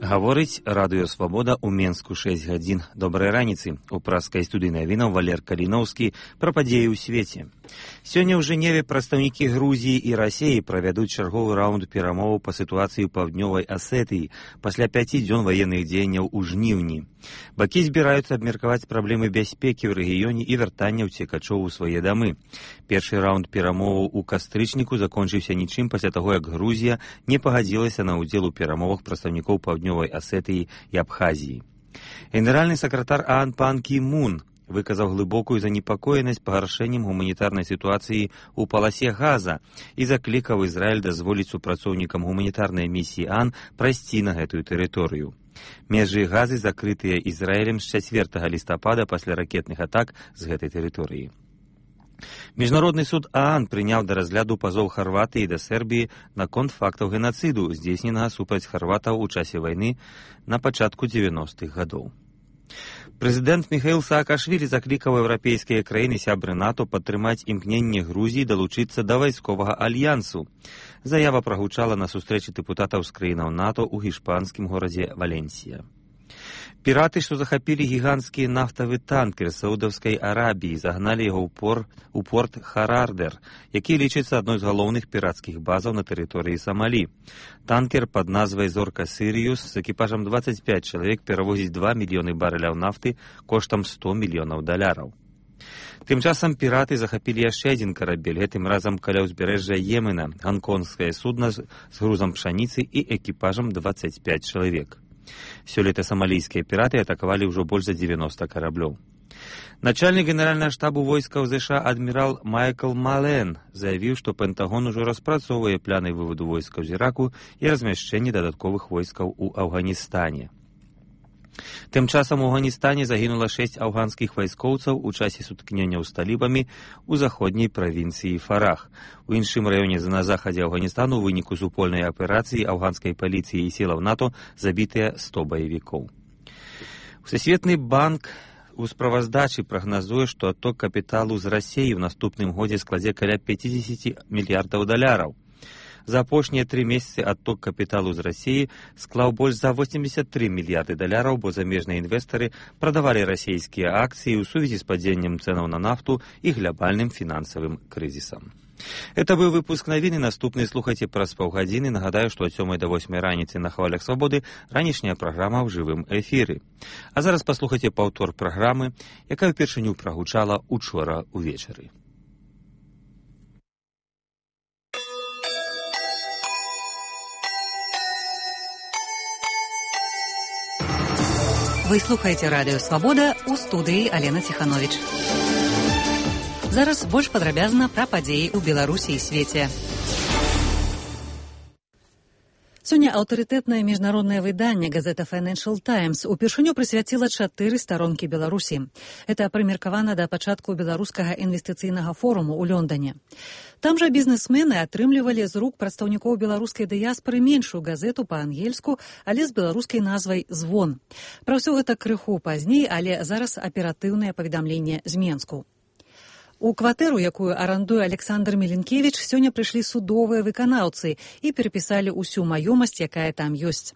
Гаворыць Радыё Свабода ў Менску 6 гадзін. Добрай раніцы. У праскай студыйнай навінаў Валер Каліноўскі пра падзеі ў свеце. Сёння ў Жэневе прадстаўнікі Грузіі і Расіі правядуць чарговы раунд перамоваў па сітуацыі ў Паўднёвай Асетыі пасля 5 дзён ваенных дзеянняў у жніўні. Бакі збіраюцца абмеркаваць праблемы бяспекі ў рэгіёне і вяртання ўцекачоў у свае дамы. Першы раунд перамоваў у кастрычніку закончыўся нічым пасля таго, як Грузія не пагадзілася на ўдзел у перамовах прадстаўнікоў Паўднёвай Асетыі і Абхазіі. Генеральны сакратар ААН Пан Кі Мун выказаў глыбокую занепакоенасць пагаршэннем гуманітарнай сітуацыі ў паласе Газа і заклікаў Ізраіль дазволіць супрацоўнікам гуманітарнай місіі ААН прайсці на гэтую тэрыторыю. Межы Газы закрытыя Ізраілем з 4 лістапада пасля ракетных атак з гэтай тэрыторыі. Міжнародны суд ААН прыняў да разгляду пазоў Харватыі да Сербіі наконт фактаў генацыду, здзейсненага супраць харватаў у часе вайны на пачатку 90-х гадоў. Прэзідэнт Міхаіл Саакашвілі заклікаў еўрапейскія краіны сябры НАТО падтрымаць імкненне Грузіі далучыцца да вайсковага альянсу. Заява прагучала на сустрэчы дэпутатаў з краінаў НАТО ў гішпанскім горадзе Валенсія. Піраты, што захапілі гіганцкі нафтавы танкер Саудаўскай Арабіі, загналі яго ў порт Харардер, які лічыцца адной з галоўных пірацкіх базаў на тэрыторыі Самалі. Танкер пад назвай «Зорка Сіріус» з экіпажам 25 чалавек перавозіць 2 мільёны барэляў нафты коштам $100 мільёнаў. Тым часам піраты захапілі яшчэ адзін карабель, гэтым разам каля ўзбярэжжа Йемена, ганконгскае судна з грузам пшаніцы і экіпажам 25 чалавек. Сёлета самалійскія піраты атакавалі ўжо больш за 90 караблёў. Начальнік генеральнага штабу войскаў ЗША адмірал Майкл Мален заявіў, што Пентагон ужо распрацоўвае пляны выводу войскаў з Іраку і размяшчэння дадатковых войскаў у Афганістане. Тым часам у Афганістане загінула 6 афганскіх вайскоўцаў у часе сутыкненняў з талібамі ў заходняй правінцыі Фарах. У іншым раёне на захадзе Афганістану ў выніку супольнай аперацыі афганскай паліцыі і сілаў НАТО забітыя 100 баевікоў. Всесветны банк у справаздачы прагназуе, што адток капіталу з Расіі ў наступным годзе складзе каля $50 мільярдаў. За апошнія 3 месяцы адток капіталу з Расіі склаў больш за $83 мільярды, бо замежныя інвестары прадавалі расійскія акцыі ў сувязі з падзеннем цэнаў на нафту і глобальным фінансавым крызісам. Это быў выпуск навіны, наступны слухайце праз паўгадзіны. Нагадаю, што ад 7 до 8 раніцы на хвалях Свабоды ранішняя праграма ў жывым эфіры. А зараз паслухайце паўтор праграмы, якая ўпершыню прагучала учора ўвечары. Вы слухаеце Радыё Свабода, у студыі Алена Ціхановіч. Зараз больш падрабязна пра падзеі ў Беларусі і свеце. Сёння аўтарытэтнае міжнароднае выданне газета Financial Times упершыню прысвяціла 4 старонкі Беларусі. Это прымеркавана да пачатку беларускага інвестыцыйнага форуму ў Лондоне. Там жа бізнесмены атрымлівалі з рук прадстаўнікоў беларускай дыяспары меншую газету па-ангельску, але з беларускай назвай «Звон». Пра ўсё гэта крыху пазней, але зараз аператыўнае паведамленне з Менску. У кватэру, якую арандуе Александр Міленкевіч, сёння прыйшлі судовыя выканаўцы і перапісалі ўсю маёмасць, якая там ёсць.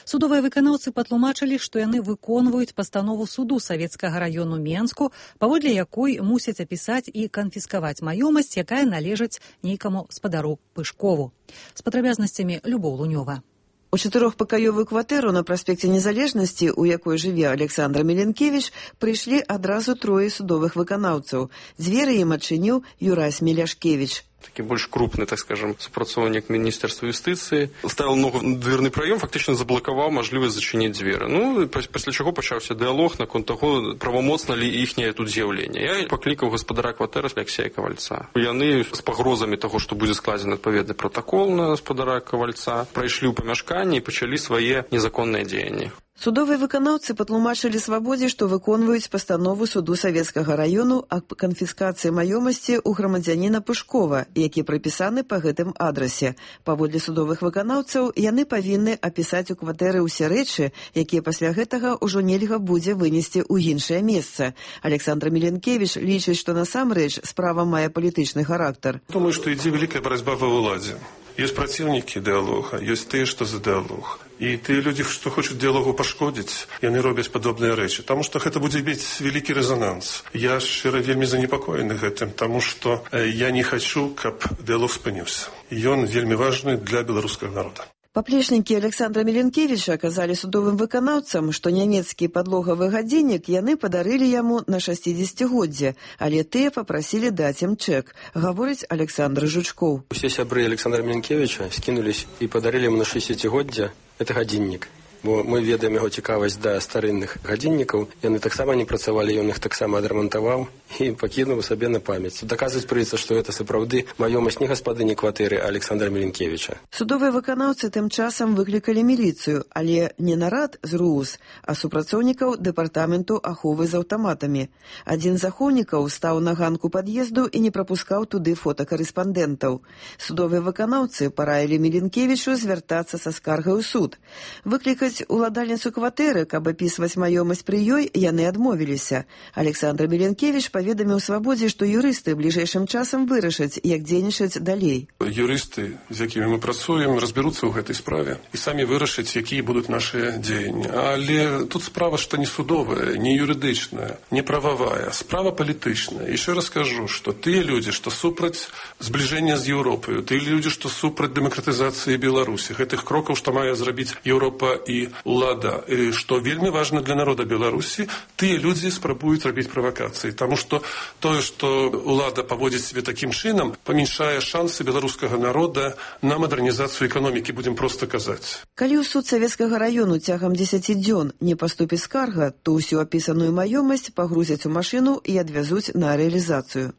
Судовыя выканаўцы патлумачылі, што яны выконваюць пастанову суду савецкага раёну Менску, паводле якой мусяць апісаць і канфіскаваць маёмасць, якая належыць нейкаму спадару Пышкову. З падрабязнасцямі Любоў Лунёва. У 4-пакаёвую кватэру на праспекце Незалежнасці, у якой жыве Александр Міленкевіч, прыйшлі адразу 3 судовых выканаўцаў. Дзверы ім адчыніў Юрась Міляшкевіч. Такі больш крупны, так скажем, супрацоўнік Міністэрства юстыцыі. Ставіў ногу на дверны праём, фактычна заблакаваў мажлівасць зачыніць дзверы. Пасля чаго пачаўся дыялог наконт таго, правамоцна ли іхняе тут з'яўленне. Я паклікаў гаспадара кватэры Алексея Кавальца. Яны з пагрозамі таго, што будзе складзены адпаведны пратакол на гаспадара Кавальца, прайшлі ў памяшканне і пачалі свае незаконныя дзеянні. Судовыя выканаўцы патлумачылі Свабодзе, што выконваюць пастанову суду савецкага раёну аб канфіскацыі маёмасці ў грамадзяніна Пышкова, які прыпісаны па гэтым адрасе. Паводле судовых выканаўцаў, яны павінны апісаць у кватэры ўсе рэчы, якія пасля гэтага ўжо нельга будзе вынесці ў іншае месца. Александр Міленкевіч лічыць, што насамрэч справа мае палітычны характар. Думаю, што ідзе вялікая барацьба ва ўладзе. Ёсць праціўнікі дыялога, ёсць тыя, што за дыялог. І тыя людзі, што хочуць дыялогу пашкодзіць, яны робяць падобныя рэчы. Таму што гэта будзе мець вялікі рэзананс. Я шчыра вельмі занепакоены гэтым, таму што я не хачу, каб дыялог спыніўся. Ён вельмі важны для беларускага народа. Паплечнікі Александра Меленкевіча аказалі судовым выканаўцам, што нямецкі падлогавы гадзіннік яны падарылі яму на 60-годдзе, але тыя папрасілі даць ім чэк, гаворыць Александр Жучкоў. Усе сябры Александра Меленкевіча скінулись і падарылі яму на 60-годдзе гэты гадзіннік. Бо мы ведаем яго цікавасць да старынных гадзіннікаў. Яны таксама не працавалі, ён іх таксама адрамантаваў і пакінуў сабе на памяць. Даказваць прыйдзецца, што гэта сапраўды маёмасць не гаспадыні кватэры Александра Меленкевіча. Судовыя выканаўцы тым часам выклікалі міліцыю, але не нарад з РУС, а супрацоўнікаў дэпартаменту аховы з аўтаматамі. Адзін з ахоўнікаў стаў на ганку пад'езду і не прапускаў туды фотакарэспандэнтаў. Судовыя выканаўцы параілі Меленкевічу звяртацца са скаргай у суд. Выклікаць уладальніцу кватэры, каб апісваць маёмасць пры ёй, яны адмовіліся. Александр Меленкевіч паведаміў Свабодзе, што юрысты бліжэйшым часам вырашаць, як дзейнічаць далей. Юрысты, з якімі мы працуем, разбяруцца ў гэтай справе і самі вырашаць, якія будуць нашыя дзеянні. Але тут справа, што не судовая, не юрыдычная, не прававая, справа палітычная. Яшчэ раз кажу, што тыя людзі, што супраць збліжэння з Еўропаю, тыя людзі, што супраць дэмакратызацыі Беларусі, гэтых крокаў, што мае зрабіць Еўропа і улада, што вельмі важна для народа Беларусі, тыя людзі спрабуюць рабіць правакацыі. Таму што тое, што улада паводзіць себе такім чынам, памяншае шансы беларускага народа на мадэрнізацыю эканомікі, будзем проста казаць. Калі ў суд Савецкага раёну цягам 10 дзён не паступіць скарга, то ўсю апісаную маёмасць пагрузяць у машыну і адвязуць на рэалізацыю.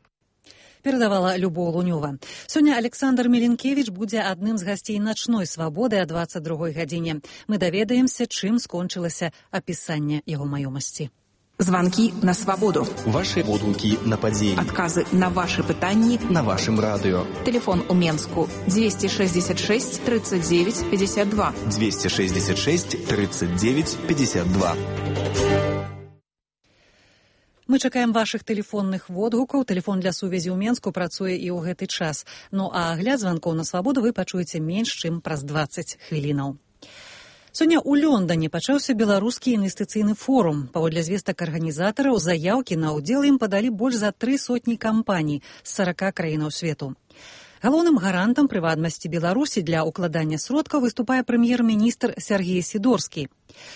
Перадавала Любоў Лунёва. Сёння Александр Меленкевіч будзе адным з гасцей начной свабоды о 22 гадзіне. Мы даведаемся, чым скончылася апісанне яго маёмасці. Звонки на свободу. Ваши водгуки на падзеі. Отказы на ваши пытанні на вашым радыё. Телефон у Менску 266 39 52. 266 39 52. Мы чакаем вашых тэлефонных водгукаў. Тэлефон для сувязі ў Менску працуе і ў гэты час. Ну а агляд званкоў на свабоду вы пачуеце менш, чым праз 20 хвілінаў. Сёння ў Лондане пачаўся беларускі інвестыцыйны форум. Паводле звестак арганізатараў, заяўкі на ўдзел ім падалі больш за 300 кампаній з 40 краінаў свету. Галоўным гарантам прыватнасці Беларусі для укладання сродкаў выступае прэм'ер-міністр Сергей Сідорскі.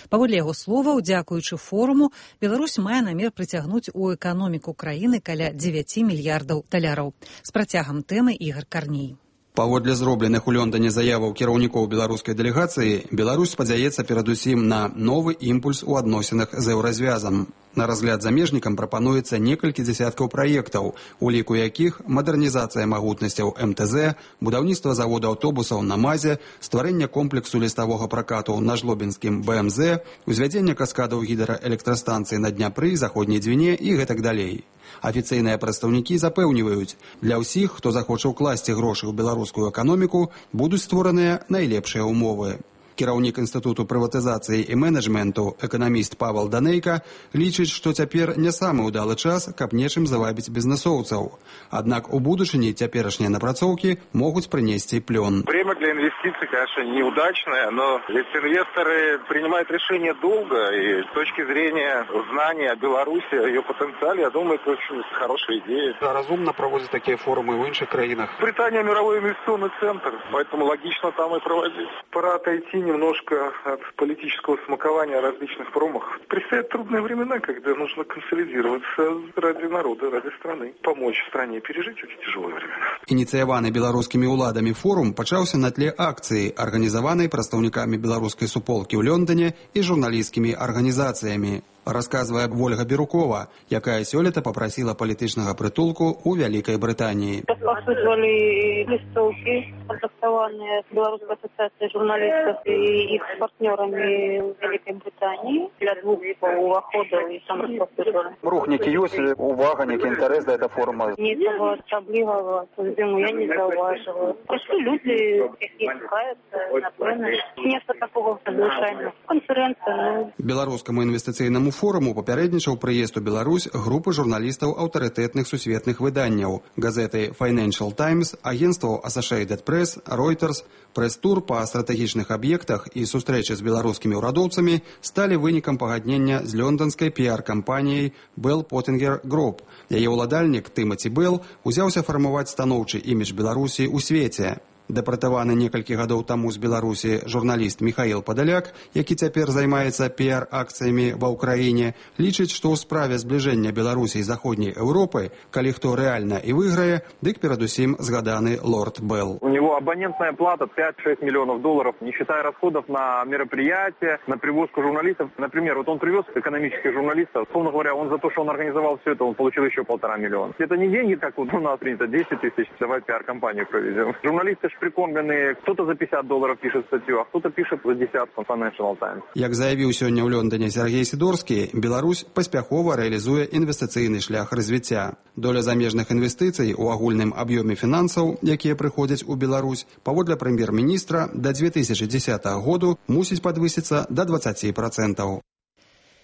Паводле яго словаў, дзякуючы форуму, Беларусь мае намер прыцягнуць у эканоміку краіны каля 9 мільярдаў даляраў. З працягам тэмы Ігар Карней. Паводле зробленых у Лондане заяваў кіраўнікоў беларускай дэлегацыі, Беларусь спадзяецца перадусім на новы імпульс у адносінах з еўразвязам. На разгляд замежнікам прапануецца некалькі дзесяткаў праектаў, у ліку якіх мадэрнізацыя магутнасцяў МТЗ, будаўніцтва завода аўтобусаў на МАЗе, стварэнне комплексу ліставога пракату на жлобінскім БМЗ, узвядзенне каскадаў гідраэлектрастанцыі на Дняпры, заходняй Двіне і гэтак далей. Афіцыйныя прадстаўнікі запэўніваюць, для ўсіх, хто захоча ўкласці грошы ў беларускую эканоміку, будуць створаныя найлепшыя ўмовы. Кіраўнік Інстытуту прыватызацыі і менеджменту, эканаміст Павел Данейка, лічыць, што цяпер не самы ўдалы час, каб нечым завабіць бізнесоўцаў. Аднак у будучыні цяперашнія напрацоўкі могуць прынесці плён. Время для инвестиций, конечно, неудачное, но ведь инвесторы принимают решения долго, и с точки зрения знания о Беларуси, о ее потенциале, я думаю, это очень хорошая идея. Разумно проводить такие форумы в інших країнах. Британия мировой инвестиционный центр, поэтому логично там и проводить. Пора отойти немножко от политического смакования о различных форумах. Предстоят трудные времена, когда нужно консолидироваться ради народа, ради страны, помочь стране пережить эти тяжелые времена. Ініцыяваны беларускімі ўладамі форум пачаўся на тле акцыі, арганізаванай прадстаўнікамі беларускай суполкі ў Лондане і журналісцкімі арганізацыямі. Расказвае Вольга Бірукова, якая сёлета папрасіла палітычнага прытулку ў Вялікай Брытаніі. Распаўсюджвалі лістоўкі, кантактаваныя з Беларускай асацыяцыяй журналістаў і іх партнёрамі ў Вялікай Брытаніі для двух уваходаў і сам распаўсюджвалі. Рух некі ёсць, увага, некі інтарэс да гэта форума? Нічого асаблівага, я не заўважыла. Просто людзі, які шукаюцца, напэўна, нешта такого звычайнага. Канферэнцыя. Беларускаму інвестыцыйнаму форуму папярэднічаў прыезд у Беларусь групы журналістаў аўтарытэтных сусветных выданняў, газеты Financial Times, агенстваў Associated Press, Reuters. Прэс-тур па стратэгічных аб'ектах і сустрэчы з беларускімі ўрадоўцамі сталі вынікам пагаднення з лёнданскай піар-кампаніяй Bell Pottinger Group. Яе ўладальнік Тымаці Белл узяўся фармаваць станоўчы імідж Беларусі ў свеце. Дэпартаваны некалькі гадоў таму з Беларусі журналіст Михаил Падаляк, які цяпер займаецца піар-акцыямі ва ўкраіне, лічыць, што ў справе збліжэння Беларусі і Заходняй Еўропы, калі хто рэальна і выйграе, дык перадусім згаданы лорд Белл. У него абонентная плата 5-6 миллионов долларов, не считая расходов на мероприятия, на привозку журналистов. Например, вот он привез экономических журналистов, условно говоря, он за то, что он организовал все это, он получил еще 1,5 миллиона. Это не деньги, как вот у нас принято, 10 тысяч, давай пиар-компанию проведем. Журналисты прикормленные, кто-то за $50 пишет статью, а кто-то пишет за десятку Financial Times. Як заявіў сёння ў Лондоне Сергей Сідорскі, Беларусь паспяхова рэалізуе інвестыцыйны шлях развіцця. Доля замежных інвестыцый у агульным аб'ёме фінансаў, якія прыходзяць у Беларусь, паводле прэм'ер-міністра, да 2010 году мусіць падвысіцца да 20%.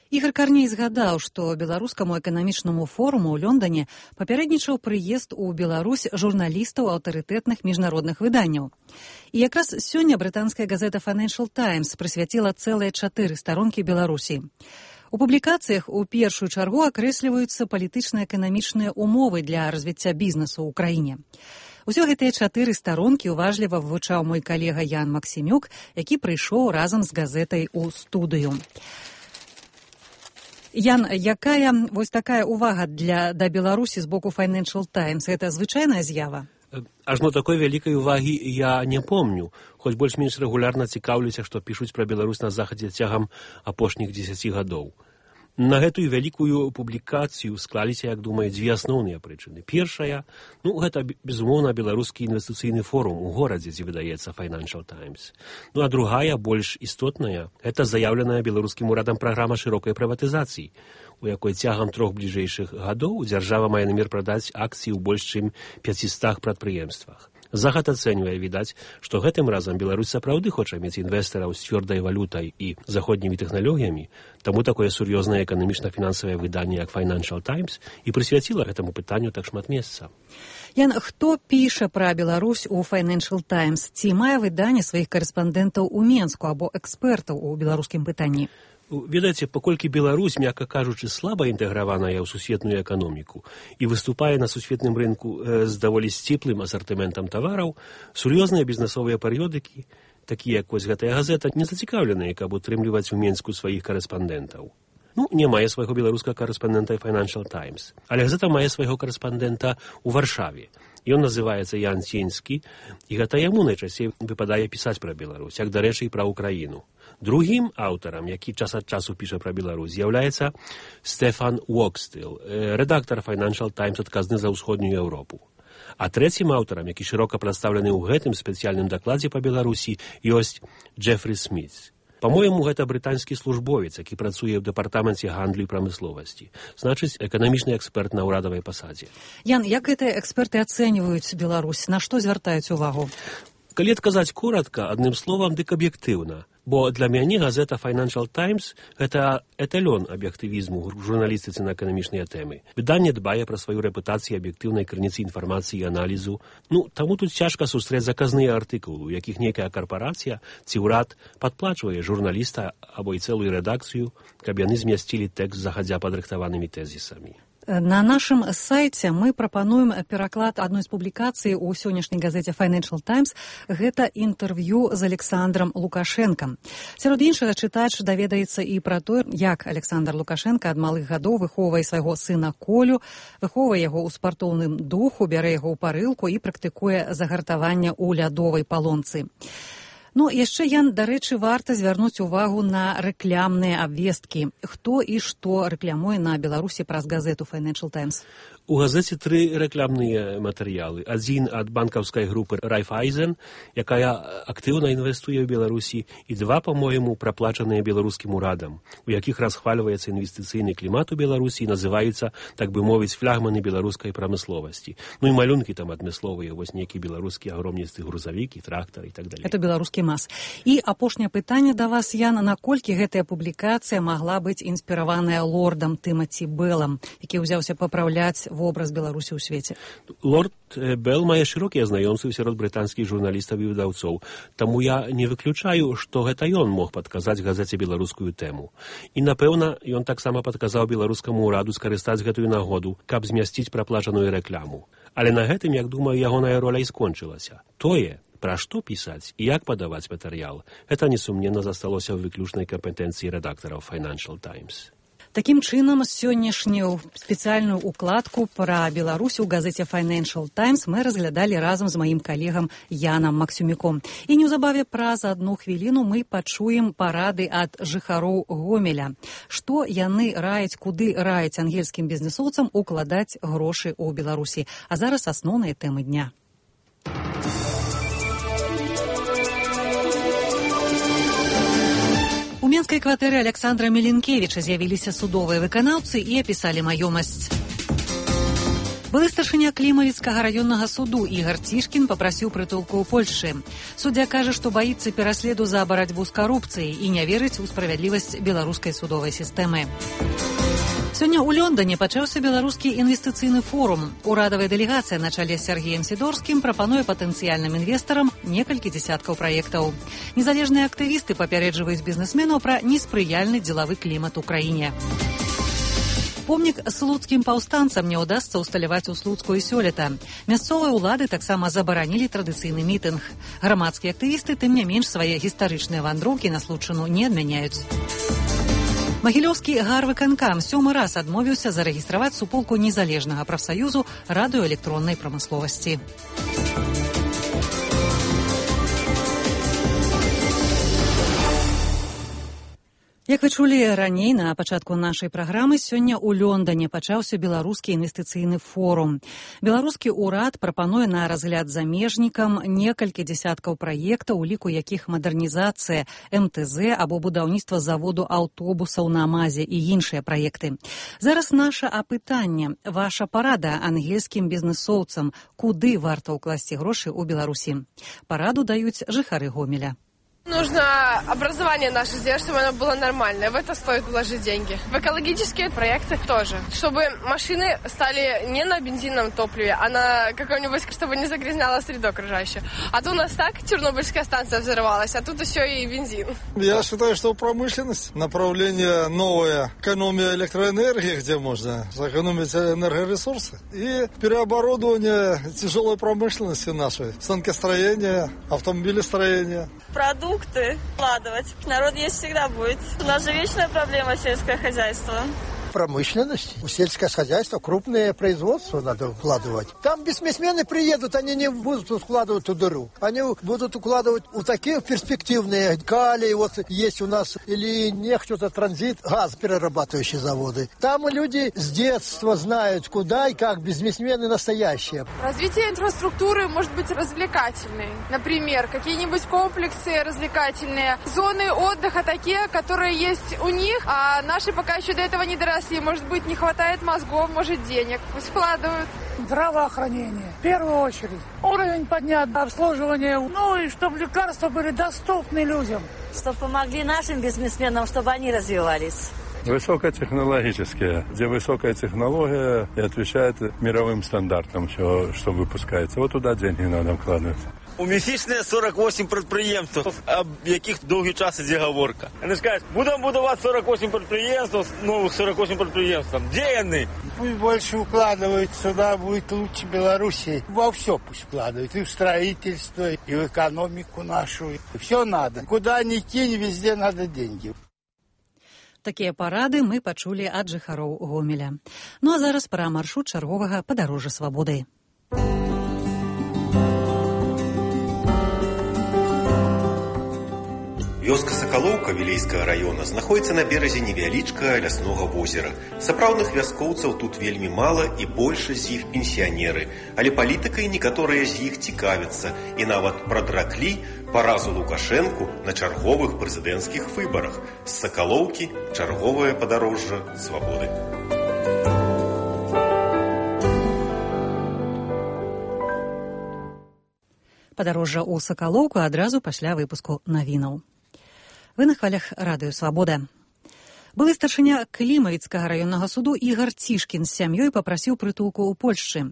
Ігор Карней згадаў, што беларускаму эканамічнаму форуму ў Лондоне папярэднічаў прыезд у Беларусь журналістаў аўтарытэтных міжнародных выданняў. І якраз сёння брытанская газета Financial Times прысвяціла цэлыя 4 старонкі Беларусі. У публікацыях у першую чаргу акрэсліваюцца палітычна-эканамічныя умовы для развіцця бізнесу ў краіне. Усё гэтыя 4 старонкі уважліва вывучаў мой калега Ян Максімюк, які прыйшоў разам з газетай у студыю. Ян, якая вось такая увага да Беларусі з боку Financial Times? Гэта звычайная з'ява? Ажно такой вялікай увагі я не помню, хоць больш-менш рэгулярна цікаўлюся, што пішуць пра Беларусь на захадзе цягам апошніх 10 гадоў. На гэтую вялікую публікацыю склаліся, як думаю, 2 асноўныя прычыны. Першая, гэта, безумоўна, беларускі інвестыцыйны форум у горадзе, дзе выдаецца Financial Times. А другая, больш істотная, гэта заяўленая беларускім урадам праграма шырокай прыватызацыі, у якой цягам 3 бліжэйшых гадоў дзяржава мае намер прадаць акцыі ў больш чым 500 прадпрыемствах. Захад ацэньвае, відаць, што гэтым разам Беларусь сапраўды хоча мець інвестараў з цвёрдай валютай і заходнімі тэхналогіямі, таму такое сур'ёзнае эканамічна-фінансавае выданне, як Financial Times, і прысвяціла гэтаму пытанню так шмат месца. Ян, хто піша пра Беларусь у Financial Times? Ці мае выданне сваіх карэспандэнтаў у Менску або экспертаў у беларускім пытанні? Ведаеце, паколькі Беларусь, мякка кажучы, слаба інтэграваная ў сусветную эканоміку і выступае на сусветным рынку з даволі сціплым асартыментам тавараў, сур'ёзныя бізнесовыя перыёдыкі, такія як вось гэтая газета, не зацікаўленыя, каб утрымліваць у Менску сваіх карэспандэнтаў. Не мае свайго беларускага карэспандэнта Financial Times, але газета мае свайго карэспандэнта ў Варшаве. Ён называецца Ян Ценьскі, і гэта яму найчасцей выпадае пісаць пра Беларусь, як, дарэчы, і пра Украіну. Другім аўтарам, які час ад часу піша пра Беларусь, з'яўляецца Стефан Уокстыл, рэдактар Financial Times, адказны за ўсходнюю Еўропу. А трэцім аўтарам, які шырока прадстаўлены ў гэтым спецыяльным дакладзе па Беларусі, ёсць Джефрі Сміт. Па-мойму, гэта брытанскі службовец, які працуе ў дэпартаменце гандлю і прамысловасці. Значыць, эканамічны эксперт на ўрадавай пасадзе. Ян, як гэтыя эксперты ацэньваюць Беларусь? На што звяртаюць увагу? Калі адказаць коратка, адным словам, дык аб'ектыўна. Бо для мяне газета Financial Times – гэта эталён аб'ектывізму ў журналістыцы на эканамічныя тэмы. Выданне дбае пра сваю рэпутацыю аб'ектыўнай крыніцы інфармацыі і аналізу. Таму тут цяжка сустрэць заказныя артыкулы, у якіх нейкая карпарацыя ці ўрад падплачвае журналіста або і цэлую рэдакцыю, каб яны змясцілі тэкст загадзя падрыхтаванымі тэзісамі. На нашым сайце мы прапануем пераклад адной з публікацый у сённяшняй газеце Financial Times. Гэта інтэрв'ю з Александром Лукашенкам. Сярод іншага чытач даведаецца і пра тое, як Александр Лукашенко ад малых гадоў выхоўвае свайго сына Колю, выхоўвае яго ў спартоўным духу, бярэ яго ў парылку і практыкуе загартаванне ў лядовай палонцы. Яшчэ, Ян, дарэчы, варта звярнуць увагу на рэклямныя абвесткі. Хто і што рэклямуе на Беларусі праз газету Financial Times? У газеце 3 рэклямныя матэрыялы. Адзін ад банкаўскай групы Райфайзен, якая актыўна інвестуе ў Беларусі, і 2, па-моему, праплачаныя беларускім урадам, у якіх расхвальваецца інвестыцыйны клімат у Беларусі і называюцца, так бы мовіць, флягманы беларускай прамысловасці. І малюнкі там адмысловыя, вось нейкі беларускі агромністы грузавік і трактар і так далей. Это беларускія прымас. І апошняе пытанне да вас, Ян, наколькі гэтая публікацыя магла быць інспіраваная лордам Тымаці Беллам, які ўзяўся папраўляць вобраз Беларусі ў свеце? Лорд Белл мае шырокія знаёмствы сярод брытанскіх журналістаў і выдаўцоў, таму я не выключаю, што гэта ён мог падказаць газеце беларускую тэму. І, напэўна, ён таксама падказаў беларускаму ўраду скарыстаць гэтую нагоду, каб змясціць праплачаную рэкламу. Але на гэтым, як думаю, ягоная роля і скончылася. Тое, пра што пісаць і як падаваць матэрыял, гэта несумненна засталося ў выключнай кампетэнцыі рэдактараў Financial Times. Такім чынам, сённяшнюю спецыяльную укладку пра Беларусь у газеце Financial Times мы разглядалі разам з маім калегам Янам Максюміком. І неўзабаве праз адну хвіліну мы пачуем парады ад жыхароў Гомеля. Што яны раяць, куды раяць ангельскім бізнесоўцам укладаць грошы ў Беларусі. А зараз асноўныя тэмы дня. У менскай кватэры Александра Меленкевіча з'явіліся судовыя выканаўцы і апісалі маёмасць. Былы старшыня Клімавіцкага раённага суду Ігар Цішкін папрасіў прытулку ў Польшчы. Суддзя кажа, што баіцца пераследу за барацьбу з карупцыяй і не верыць у справядлівасць беларускай судовай сістэмы. Сёння ў Лондоне пачаўся беларускі інвестыцыйны форум. Урадавая дэлегацыя на чале з Сергеем Сідорскім прапануе патэнцыяльным інвестарам некалькі дзесяткаў праектаў. Незалежныя актывісты папярэджваюць бізнесменаў пра неспрыяльны дзелавы клімат у краіне. Помнік слуцкім паўстанцам не ўдасца ўсталяваць у Слуцку і сёлета. Мясцовыя ўлады таксама забаранілі традыцыйны мітынг. Грамадскія актывісты, тым не менш, свае гістарычныя вандроўкі на Случыну не адмяняюць. Магілёўскі гарвыканкам 7-ы раз адмовіўся зарэгістраваць суполку незалежнага прафсаюзу радыёэлектроннай прамысловасці. Як вы чулі раней на пачатку нашай праграмы, сёння ў Лондоне пачаўся беларускі інвестыцыйны форум. Беларускі ўрад прапануе на разгляд замежнікам некалькі дзесяткаў праектаў, у ліку якіх мадэрнізацыя МТЗ або будаўніцтва заводу аўтобусаў на МАЗе і іншыя праекты. Зараз наша апытанне. Ваша парада ангельскім бізнесоўцам, куды варта ўкласці грошы ў Беларусі? Параду даюць жыхары Гомеля. Нужно образование наше сделать, чтобы оно было нормальное. В это стоит вложить деньги. В экологические проекты тоже. Чтобы машины стали не на бензиновом топливе, а на каком-нибудь, чтобы не загрязняло среду окружающую. А то у нас так Чернобыльская станция взорвалась, а тут еще и бензин. Я считаю, что промышленность, направление новое, экономия электроэнергии, где можно сэкономить энергоресурсы, и переоборудование тяжелой промышленности нашей, станкостроения, автомобилестроения. Продукты вкладывать. Народ есть всегда будет. У нас же вечная проблема сельское хозяйство. Промышленность, сельское хозяйство, крупное производство надо вкладывать. Там бизнесмены приедут, они не будут вкладывать в дыру. Они будут укладывать в такие перспективные калий, вот есть у нас, или нефть, это транзит, газ, перерабатывающие заводы. Там люди с детства знают, куда и как, бизнесмены настоящие. Развитие инфраструктуры может быть развлекательной. Например, какие-нибудь комплексы развлекательные, зоны отдыха такие, которые есть у них, а наши пока еще до этого не доросли. Если, может быть, не хватает мозгов, может, денег. Пусть вкладывают. Здравоохранение. В первую очередь. Уровень поднят, обслуживание. Ну и чтобы лекарства были доступны людям. Чтобы помогли нашим бизнесменам, чтобы они развивались. Высокотехнологические, где высокая технология и отвечает мировым стандартам, что выпускается. Вот туда деньги надо вкладывать. У міфічне 48 підприємств, об яких довгий час іде говорка. Вони ж кажуть, будемо будувати 48 підприємств, нових 48 підприємств. Де вони? Пусть больше укладывают сюда, будет лучше Беларуси. Во все пусть вкладывают, и в строительство, и в экономику нашу. Все надо. Куда ни кинь, везде надо деньги. Такія парады мы пачулі ад жыхароў Гомеля. Ну а зараз пра маршрут чарговага падарожжа свабоды. Вёска Сакалоўка Вілейскага раёна знаходзіцца на беразе невялічкага ляснога возера. Сапраўдных вяскоўцаў тут вельмі мала і большасць з іх пенсіянеры, але палітыкай некаторыя з іх цікавяцца і нават прадраклі паразу Лукашэнку на чарговых прэзідэнцкіх выбарах. З Сакалоўкі чарговае падарожжа свабоды. Падарожжа ў Сакалоўку адразу пасля выпуску навінаў. Вы на хвалях радыё «Свабода». Былы старшыня Клімавіцкага раённага суду Ігар Цішкін з сям'ёй папрасіў прытулку ў Польшчы.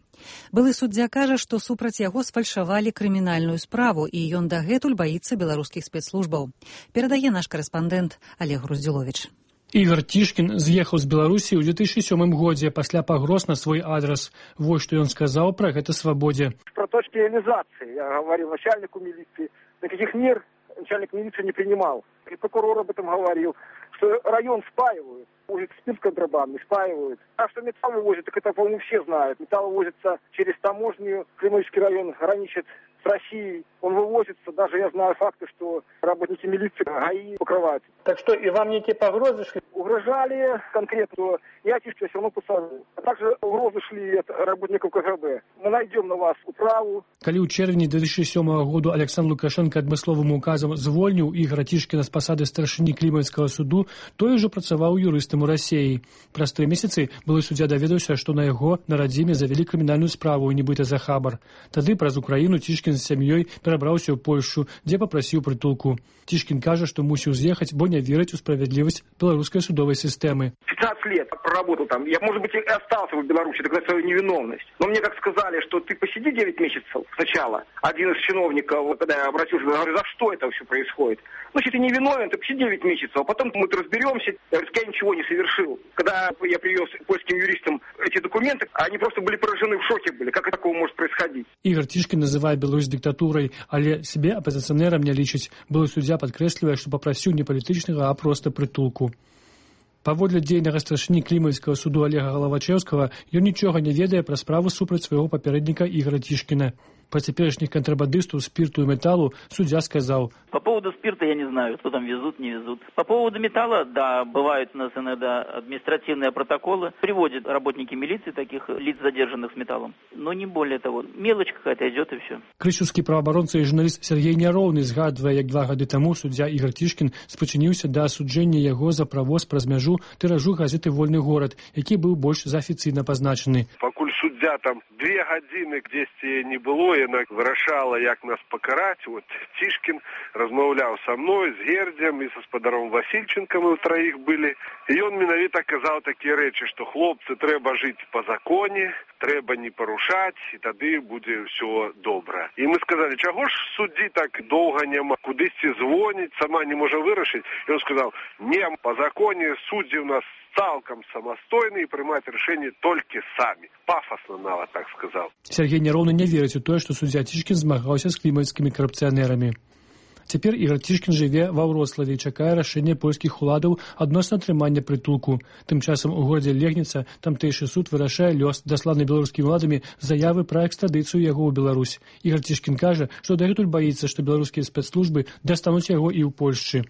Былы суддзя кажа, што супраць яго сфальшавалі крымінальную справу, і ён дагэтуль баіцца беларускіх спецслужбаў. Перадае наш карэспандэнт Олег Груздзіловіч. Ігар Цішкін з'ехаў з Беларусі ў 2007 годзе пасля пагроз на свой адрас. Вот што ён сказаў пра гэта «Свабодзе». Про точки реализации я говорил начальнику милиции. Никаких мер начальник милиции не принимал. И прокурор об этом говорил, что район спаивают, возят спирт контрабандный, спаивают. А что металл вывозят, так это, по-моему, все знают. Металл вывозится через таможню, Климовский район граничит с Россией. Он вывозится, даже я знаю факты, что работники милиции ГАИ покрывают. Так что и вам некие погрозы шли? Угрожали конкретно, я Тишкина все равно посажу. А также угрозы шли от работников КГБ. Мы найдем на вас управу. Калі ў чэрвені 2007 году Александр Лукашенко адмысловым указам звольніў Ігара Цішкіна з пасады старшыні Клімавіцкага суду, той ужо працаваў юрыстам у Расіі. Праз 3 месяцы былы суддзя даведаўся, што на яго на радзіме завялі крымінальную справу, нібыта за хабар. Тады праз Украіну Цішкін з сям'ёй перабраўся ў Польшчу, дзе папрасіў прытулку. Цішкін кажа, што мусіў з'ехаць, бо не верыць у справядлівасць беларускай судовой системы. 15 лет проработал там. Я, может быть, и остался в Беларуси, доказать свою невиновность. Но мне как сказали, что ты посиди 9 месяцев сначала. Один из чиновников, когда я обратился, говорю, за что это все происходит? Ну, если ты не виновен, ты посиди 9 месяцев, а потом мы разберемся. Я говорю, я ничего не совершил. Когда я привез польским юристам эти документы, они просто были поражены, в шоке были. Как такого может происходить? Ігар Цішкін называе Беларусь диктатурой, але себе апозиционером не лічыць. Былы суддзя падкрэслівае, што папрасіў не палітычнага, а проста прытулку. Паводле дзейнага старшыні Клімавіцкага суду Олега Галавачеўскага, ён нічога не ведае пра справу супраць свайго папярэдніка Ігара Цішкіна. Про теперешних контрабандистов спирту и металлу судья сказал: по поводу спирта я не знаю, что там везут, не везут. По поводу металла, да, бывают у нас иногда административные протоколы. Приводят работники милиции таких лиц, задержанных с металлом. Но не более того. Мелочь какая-то идет и все. Крышевский правоабаронца и журналист Сергей Няроўны згадвае, як 2 гады таму суддзя Ігар Цішкін спрычыніўся да асуджэння яго за правоз праз мяжу тыражу газеты «Вольны горад», які быў больш за афіцыйна пазначаны. Пакуль суддзя там 2 гадзіны дзесьці не было, яна вырашала, як нас пакараць. Вот Цішкін размаўляў са мной, з Гердзем і са спадаром Васільченкам, мы ўтраіх былі. І ён менавіта казаў такія рэчы, што хлопцы, трэба жыць па законе, трэба не парушаць, і тады будзе ўсё добра. І мы сказалі, чаго ж суддзі так доўга няма, кудысьці звоніць, сама не можа вырашыць. І ён сказаў, не, па законе суддзі у нас цалкам самастойны і прымаць рашэнне толькі самі. Пафасна нават так сказаў. Сергей Няроўны не верыць у тое, што суддзя Цішкін змагаўся з клімавіцкімі карупцыянерамі. Цяпер Ігар Цішкін жыве ва Вроцлаве і чакае рашэння польскіх уладаў адносна атрымання прытулку. Тым часам у горадзе Легніца тамтэйшы суд вырашае лёс дасланай беларускімі уладамі заявы пра экстрадыцыю яго ў Беларусь. Ігар Цішкін кажа, што дагэтуль баіцца, што беларускія спецслужбы дастануць яго і ў Польшчы.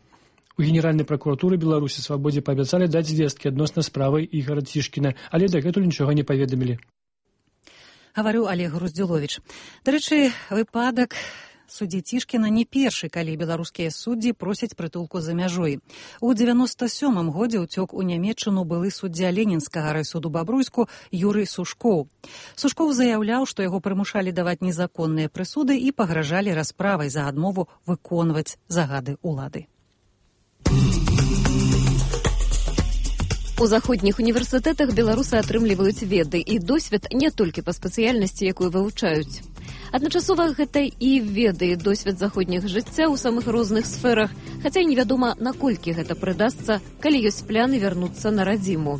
У Генеральнай пракуратуры Беларусі «Свабодзе» паабяцалі даць звесткі адносна справы Ігара Цішкіна, але дагэтуль нічога не паведамілі. Гаварыў Олег Груздзіловіч. Дарэчы, выпадак суддзі Цішкіна не першы, калі беларускія суддзі просяць прытулку за мяжой. У 97-м годзе ўцёк у Нямецчыну былы суддзя Ленінскага райсуду Бабруйску Юрый Сушкоў. Сушкоў заяўляў, што яго прымушалі даваць незаконныя прысуды і пагражалі расправай за адмову выконваць загады ўлады. У заходніх універсітэтах беларусы атрымліваюць веды і досвед не толькі па спецыяльнасці, якую вывучаюць. Адначасова гэта і веды, і досвед заходніх жыцця ў самых розных сферах, хаця і невядома, наколькі гэта прыдасца, калі ёсць пляны вярнуцца на радзіму.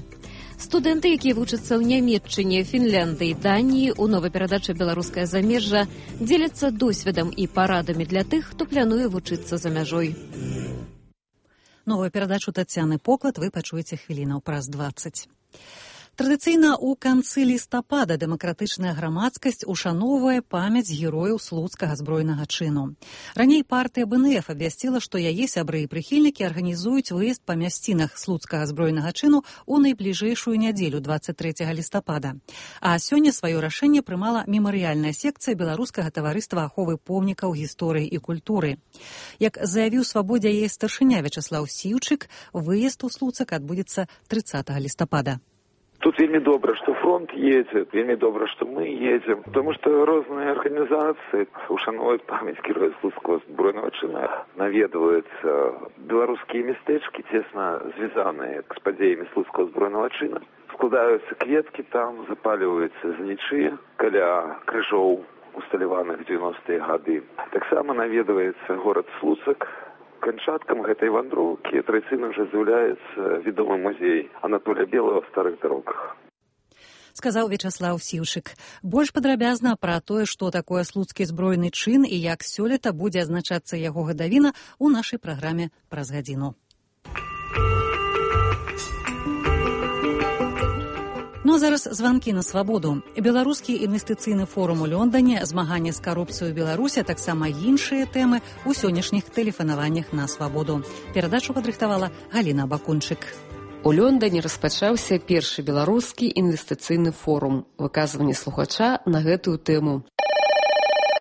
Студэнты, якія вучацца ў Нямецчыне, Фінляндыі, Даніі, у новай перадачы «Беларускае замежжа» дзеляцца досведам і парадамі для тых, хто плануе вучыцца за мяжой. Новую перадачу Тацяны Поклад вы пачуеце хвілінаў праз 20. Традыцыйна ў канцы лістапада дэмакратычная грамадскасць ушаноўвае памяць герояў слуцкага збройнага чыну. Раней партыя БНФ абвясціла, што яе сябры і прыхільнікі арганізуюць выезд па мясцінах слуцкага збройнага чыну ў найбліжэйшую нядзелю 23 лістапада. А сёння сваё рашэнне прымала мемарыяльная секцыя Беларускага таварыства аховы помнікаў гісторыі і культуры. Як заявіў «Свабодзе» яе старшыня Вячаслаў Сіўчык, выезд у Слуцак адбудзецца 30 лістапада. Тут вельмі добра, што фронт едзе, вельмі добра, што мы едзем, тому што розныя арганізацыі ушануюць памяць героя Слуцкага збройнага чына, наведваюцца беларускія мястэчкі, цесна звязаныя з падзеямі Слуцкага збройнага чына. Складаюцца кветкі там, запаліваюцца знічы каля крыжоў, усталяваных 90-е гады. Таксама наведваецца горад Слуцак. Канчаткам гэтай вандроўкі традыцыйна ўжо з'яўляецца вядомы музей Анатолія Белага ў старых дарогах. Сказаў Вячаслаў Сіўшык. Больш падрабязна пра тое, што такое слуцкі збройны чын і як сёлета будзе адзначацца яго гадавіна у нашай праграме праз гадзіну. Ну а зараз званкі на свабоду. Беларускі інвестыцыйны форум у Лондоне, змаганне з карупцыяй у Беларусі, а таксама іншыя тэмы ў сённяшніх тэлефанаваннях на свабоду. Перадачу падрыхтавала Галіна Бакунчык. У Лондоне распачаўся першы беларускі інвестыцыйны форум. Выказванне слухача на гэтую тэму.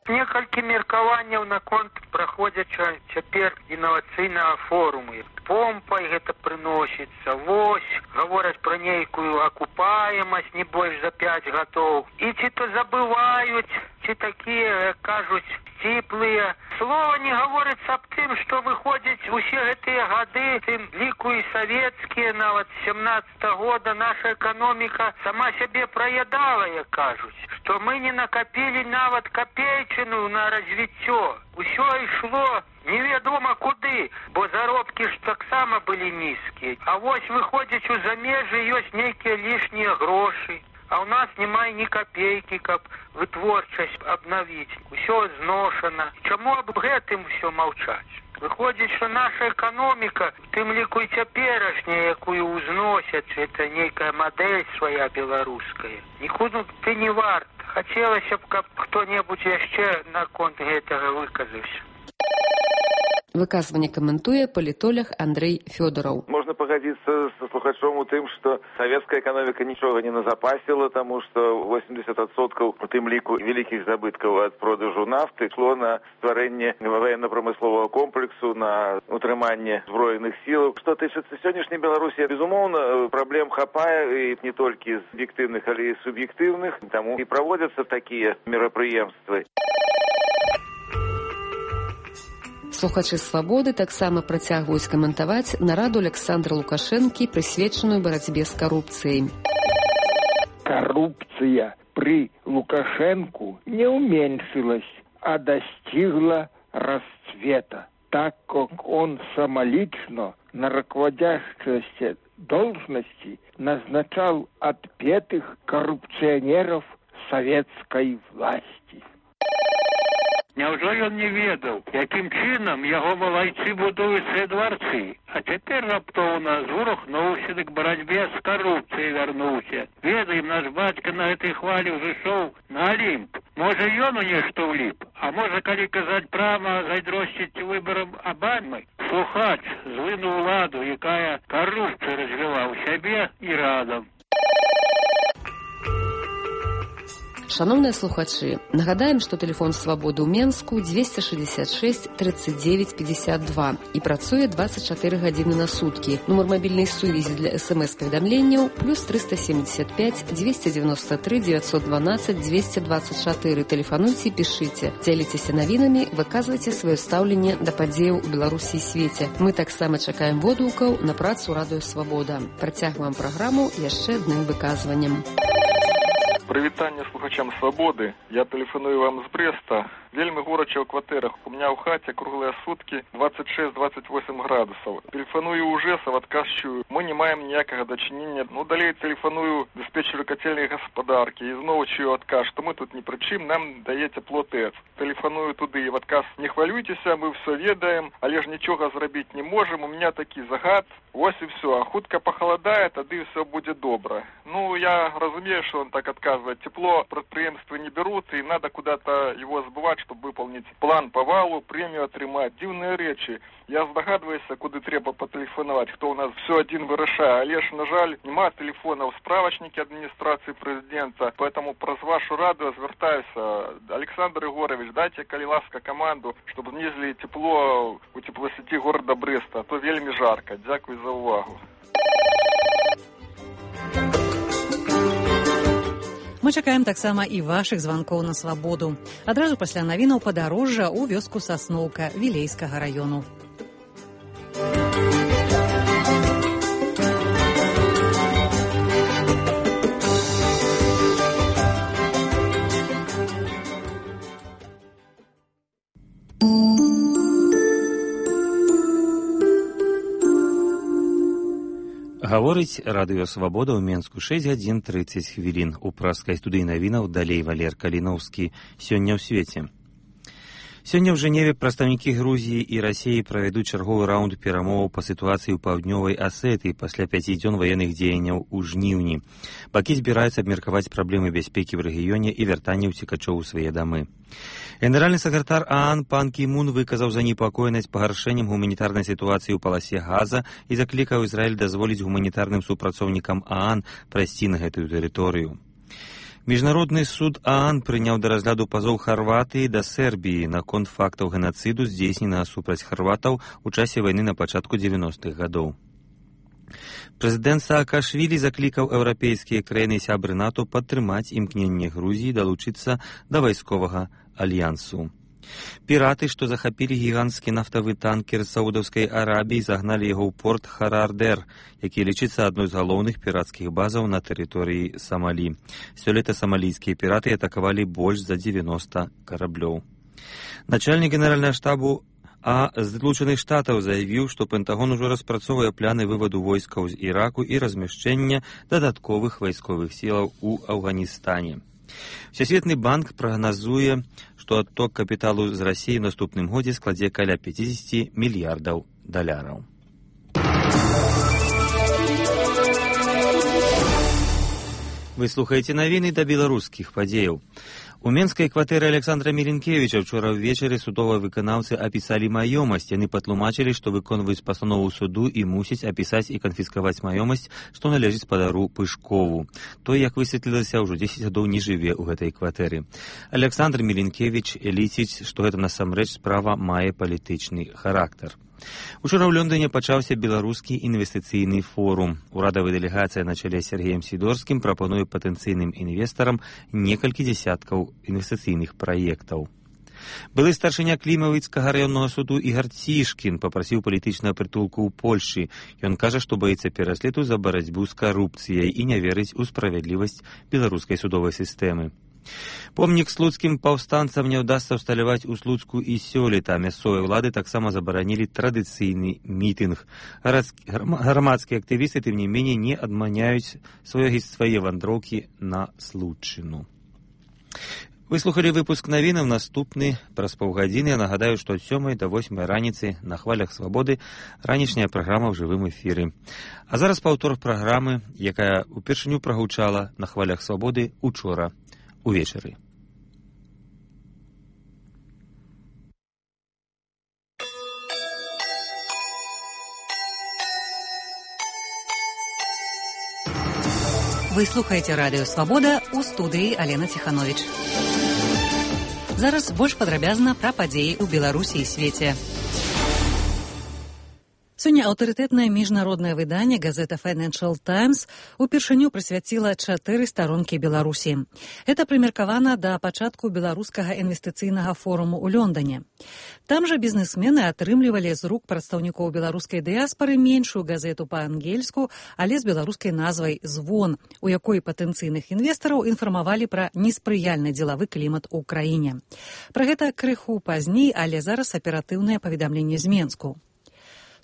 Некалькі меркаванняў наконт праходзяча цяпер інавацыйнага форуму. Помпай гэта прыносіцца. Вось, гавораць пра нейкую акупаемасць не больш за 5 гадоў. І ці то забываюць, ці такія, кажуць, сціплыя. Слова не гаворыцца аб тым, што выходзіць усе гэтыя гады, тым ліку і савецкія, нават 17-го года наша эканоміка сама сябе праядала, як кажуць, што мы не накапілі нават капейчыну на развіццё. Усё ішло невядома куды, бо заробкі ж таксама былі нізкія. А вось выходзіць у замежжы ёсць нейкія лішнія грошы. А ў нас няма ні капейкі, каб вытворчасць абнавіць. Усё зношана. Чаму аб гэтым усё маўчаць? Выходзіць, што наша эканоміка, тым ліку і цяперашняя, якую ўзносяць, это нейкая мадэль свая беларуская. Нікуды ты не варт. Хацелася б, каб хто-небудзь яшчэ наконт гэтага выказаўся. Выказванне каментуе палітолог Андрэй Фёдораў. Можна пагадзіцца са слухачом у тым, што савецкая эканоміка нічога не назапасіла, таму што 80% у тым ліку вялікіх забыткаў ад продажу нафты ішло на стварэнне ваенна-прамысловага комплексу, на утрыманне збройных сілаў. Што тычыцца сённяшняй Беларусі, безумоўна, праблем хапае і не толькі з аб'ектыўных, але і суб'ектыўных, таму і праводзяцца такія мерапрыемствы. Слухачы «Свабоды» таксама працягваюць каментаваць нараду Александра Лукашэнкі, прысвечаную барацьбе з карупцыяй. Коррупция при Лукашенко не уменьшилась, а достигла расцвета, так как он самолично на руководящие должности назначал отпетых коррупционеров советской власти. Няўжо ён не ведаў, якім чынам яго малайцы будуюць свае дварцы, а цяпер раптоўна звурухнуўся, дык барацьбе з карупцыяй вярнуўся. Ведаем, наш бацька на гэтай хвалі ўжо ішоў на Алімп. Можа, ён у нешта ўліп, а можа, калі казаць прама, зайздросціць выбарам Абамы, слухач злыну ўладу, якая карупцыю развіла ў сябе і радам. Шановныя слухачы, нагадаем, што тэлефон «Свабоды» ў Менску 266 39 52 і працуе 24 гадзіны на суткі. Нумар мабільнай сувязі для СМС-паведамленняў +375 293 912 224. Тэлефануйце і пішыце. Дзяліцеся навінамі, выказвайце сваё стаўленне да падзеяў у Беларусі і свеце. Мы таксама чакаем водгукаў на працу радыё «Свабода». Працягваем праграму яшчэ адным выказваннем. Прывітанне слухачам «Свабоды». Я тэлефаную вам з Брэста. Вельмі горача ў кватэрах. У меня ў хаце круглыя суткі 26-28 градусаў. Тэлефаную ў ЖЭС, адказчую. Мы не маем ніякага дачынення. Далей тэлефаную дыспетчеру кацельнай гаспадаркі. І зноў чую адказ, што мы тут ні пры чым, нам дае цяпло ТЭЦ. Тэлефаную туды і в адказ: не хвалюйцеся, мы ўсё ведаем, але ж нічога зрабіць не можам. У меня такі загад. Вось і ўсё. А хутка пахаладае, тады ўсё будзе добра. Я разумею, что он так отказывает. Тепло предприемства не берут, и надо куда-то его сбывать, чтобы выполнить план по валу, премию отрымать. Дивные речи. Я здогадываюсь, куди треба потелефонувати, хто у нас все один вирішає. Але ж, на жаль, нема телефона в справочнике адміністрації президента, поэтому про вашу раду звертаюся. Олександр Ігорович, дайте, коли ласка, команду, щоб знизили тепло у теплосеті города Бреста, а то вельми жарко. Дякую за увагу. Мы чакаем таксама і вашых званкоў на свабоду. Адразу пасля навінаў падарожжа ў вёску Сасноўка Вілейскага раёну. Гаворыць радыё «Свабода» ў Менску 6 гадзін 30 хвілін. У праскай студыі навінаў далей Валер Каліноўскі. Сёння ў свеце. Сёння ў Жэневе прадстаўнікі Грузіі і Расіі правядуць чарговы раунд перамоваў па сітуацыі ў паўднёвай Асетыі пасля 5 дзён ваенных дзеянняў у жніўні. Бакі збіраюцца абмеркаваць праблемы бяспекі ў рэгіёне і вяртанне ўцекачоў у свае дамы. Генеральны сакратар ААН Пан Кі Мун выказаў занепакоенасць пагаршэннем гуманітарнай сітуацыі ў паласе Газа і заклікаў Ізраіль дазволіць гуманітарным супрацоўнікам ААН прайсці на гэтую тэрыторыю. Міжнародны суд ААН прыняў да разгляду пазоў Харватыі да Сербіі наконт фактаў генацыду, здзейсненага супраць харватаў у часе вайны на пачатку 90-х гадоў. Прэзідэнт Саакашвілі заклікаў еўрапейскія краіны сябры НАТО падтрымаць імкненне Грузіі далучыцца да вайсковага альянсу. Піраты, што захапілі гіганцкі нафтавы танкер з Саудаўскай Арабіі, загналі яго ў порт Харардер, які лічыцца адной з галоўных пірацкіх базаў на тэрыторыі Самалі. Сёлета самалійскія піраты атакавалі больш за 90 караблёў. Начальнік генеральнага штабу Злучаных Штатаў заявіў, што Пентагон ужо распрацоўвае планы вываду войскаў з Іраку і размяшчэння дадатковых вайсковых сілаў у Афганістане. Всесветны банк прагназуе, што адток капіталу з Расіі ў наступным годзе складзе каля 50 мільярдаў даляраў. Вы слухаеце навіны да беларускіх падзеяў. У менскай кватэры Александра Меленкевіча вчора ўвечары судовыя выканаўцы апісалі маёмасць. Яны патлумачылі, што выконваюць пастанову суду і мусяць апісаць і канфіскаваць маёмасць, што належыць спадару Пышкову. Той, як высветлілася, ўжо 10 гадоў не жыве ў гэтай кватэры. Александр Меленкевіч лічыць, што гэта насамрэч справа мае палітычны характар. Учора ў Лондоне пачаўся беларускі інвестыцыйны форум. Урадавая дэлегацыя на чале з Сергеем Сідорскім прапануе патэнцыйным інвестарам некалькі дзесяткаў інвестыцыйных праектаў. Былы старшыня Клімавіцкага раённага суду Ігар Цішкін папрасіў палітычнага прытулку ў Польшчы. Ён кажа, што баіцца пераследу за барацьбу з карупцыяй і не верыць у справядлівасць беларускай судовай сістэмы. Помнік слуцкім паўстанцам не ўдасца ўсталяваць у Слуцку і сёлета. Мясцовыя ўлады таксама забаранілі традыцыйны мітынг. Грамадскія актывісты, тым не меней, не адманяюць свае вандроўкі на Случчыну. Вы слухалі выпуск навінаў, наступны праз паўгадзіны. Я нагадаю, што ад 7 до 8 раніцы на хвалях свабоды ранішняя праграма ў жывым эфіры. А зараз паўтор праграмы, якая упершыню прагучала на хвалях свабоды учора увечары. Вы слухаеце радыё «Свабода», у студыі Алена Ціхановіч. Зараз больш падрабязна пра падзеі ў Беларусі і свеце. Сёння аўтарытэтнае міжнароднае выданне газета Financial Times упершыню прысвяціла 4 старонкі Беларусі. Гэта прымеркавана да пачатку беларускага інвестыцыйнага форуму ў Лондоне. Там жа бізнесмены атрымлівалі з рук прадстаўнікоў беларускай дыяспары меншую газету па-ангельску, але з беларускай назвай «Звон», у якой патэнцыйных інвестараў інфармавалі пра неспрыяльны дзелавы клімат у краіне. Пра гэта крыху пазней, але зараз аператыўнае паведамленне з Менску.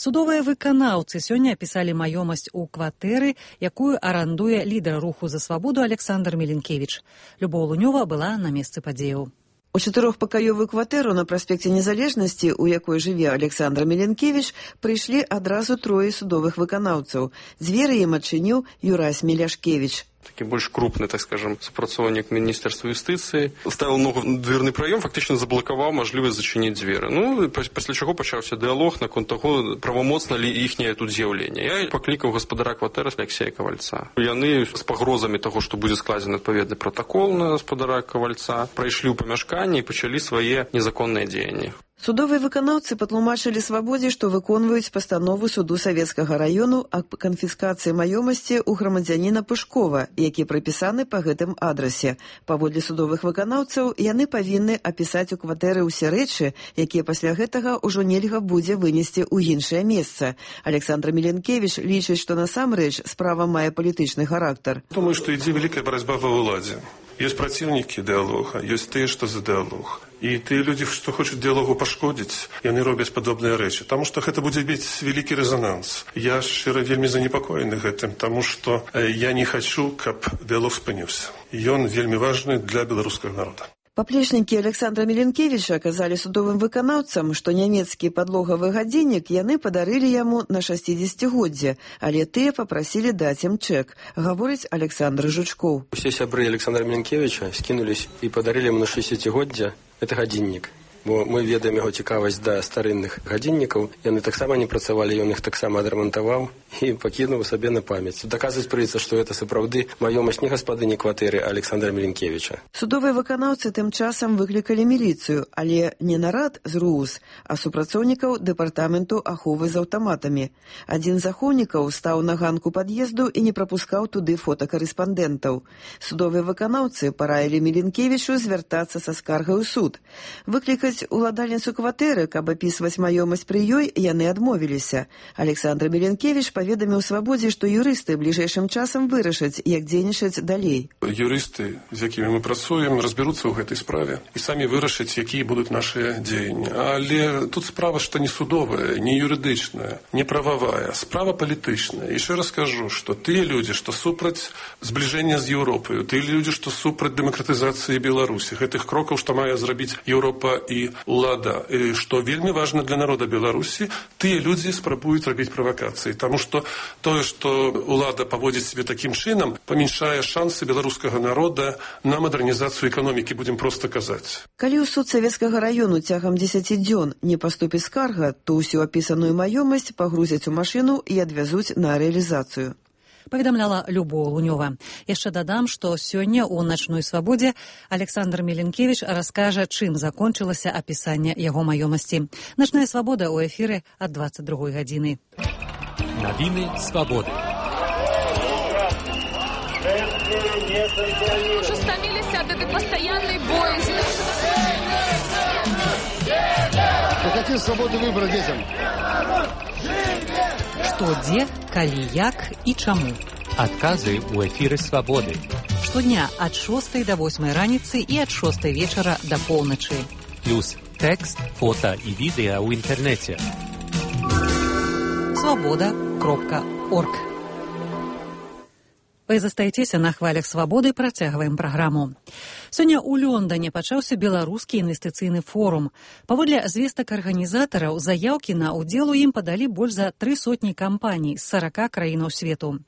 Судовыя выканаўцы сёння апісалі маёмасць у кватэры, якую арандуе лідар руху за свабоду Александр Меленкевіч. Любоў Лунёва была на месцы падзеяў. У 4-пакаёвую кватэру на праспекце Незалежнасці, у якой жыве Александр Меленкевіч, прыйшлі адразу 3 судовых выканаўцаў. Дзверы ім адчыніў Юрась Меляшкевіч. Такі больш крупны, так скажем, супрацоўнік Міністэрства юстыцыі. Ставіў ногу на дверны праём, фактычна заблакаваў мажлівасць зачыніць дзверы. Пасля чаго пачаўся дыялог наконт таго, правамоцна ли іхняе тут з'яўленне. Я паклікаў гаспадара кватэры Алексея Кавальца. Яны з пагрозамі таго, што будзе складзены адпаведны пратакол на гаспадара Кавальца, прайшлі ў памяшканне і пачалі свае незаконныя дзеянні. Судовыя выканаўцы патлумачылі «Свабодзе», што выконваюць пастанову суду Савецкага раёну аб канфіскацыі маёмасці ў грамадзяніна Пышкова, які прыпісаны па гэтым адрасе. Паводле судовых выканаўцаў, яны павінны апісаць у кватэры ўсе рэчы, якія пасля гэтага ўжо нельга будзе вынесці ў іншае месца. Александр Миленкевич лічыць, што насамрэч справа мае палітычны характар. Думаю, што ідзе вялікая барацьба ва ўладзе. Есть противники диалога, есть те, что за диалог. И те люди, что хочуць диалогу пашкодзіць, яны робяць падобныя рэчы. Таму што гэта будзе мець вялікі рэзонанс. Я шчыра вельмі занепакоены гэтым, таму што я не хачу, каб диалог спыніўся. Ён вельмі важны для беларускага народа. Паплечнікі Александра Миленкевича казалі судовым выканаўцам, што нямецкі падлогавы гадзіннік яны падарылі яму на 60-годдзе, але тыя папрасілі даць ім чэк, гаворыць Александр Жучкоў. Усе сябры Александра Миленкевича скінулись і падарылі яму на 60-годдзе гэты гадзіннік. Бо мы ведаем яго цікавасць да старынных гадзіннікаў. Яны таксама не працавалі, ён іх таксама адрамантаваў і пакінуў сабе на памяць. Даказваць прыйдзецца, што гэта сапраўды маёмасць не гаспадыні кватэры Александра Миленкевича. Судовыя выканаўцы тым часам выклікалі міліцыю, але не нарад з РУС, а супрацоўнікаў дэпартаменту аховы з аўтаматамі. Адзін з ахоўнікаў стаў на ганку пад'езду і не прапускаў туды фотакарэспандэнтаў. Судовыя выканаўцы параілі Миленкевичу звяртацца са скаргай у суд. Выклікаць уладальніцу кватэры, каб апісваць маёмасць пры ёй, яны адмовіліся. Александр Миленкевич паведаміў «Свабодзе», што юрысты бліжэйшым часам вырашаць, як дзейнічаць далей. Юрысты, з якімі мы працуем, разбяруцца ў гэтай справе і самі вырашаць, якія будуць нашыя дзеянні. Але тут справа, што не судовая, не юрыдычная, не прававая, справа палітычная. І яшчэ раз кажу, што тыя людзі, што супраць збліжэння з Еўропаю, тыя людзі, што супраць дэмакратызацыі Беларусі, гэтых крокаў, што мае зрабіць Еўропа і улада, што вельмі важна для народа Беларусі, тыя людзі спрабуюць рабіць правакацыі. Таму што тое, што улада паводзіць себе такім чынам, памяншае шансы беларускага народа на мадэрнізацыю эканомікі, будзем проста казаць. Калі ў суд Савецкага раёну цягам 10 дзён не паступіць скарга, то ўсю апісаную маёмасць пагрузяць у машыну і адвязуць на рэалізацыю. Паведамляла Любоў Лунёва. Яшчэ дадам, што сёння ў начной свабодзе Александр Миленкевич раскажа, чым закончылася апісанне яго маёмасці. Начная свабода ў эфіры ад 22 гадзіны. Навіны свабоды. Уже стаміліся ад этой пастаяннай боязі. Какие свободы выбора детям? Што, дзе, калі, як і чаму. Адказы ў эфіры свабоды. Штодня ад 6 до 8 раніцы і ад 6 вечара до поўначы. Плюс тэкст, фота і відэа ў інтэрнэце. Свабода.орг. Вы застаецеся на хвалях свабоды, працягваем праграму. Сёння ў Лондане пачаўся беларускі інвестыцыйны форум. Паводле звестак арганізатараў, заяўкі на ўдзел у ім падалі больш за 300 кампаній з 40 краінаў свету.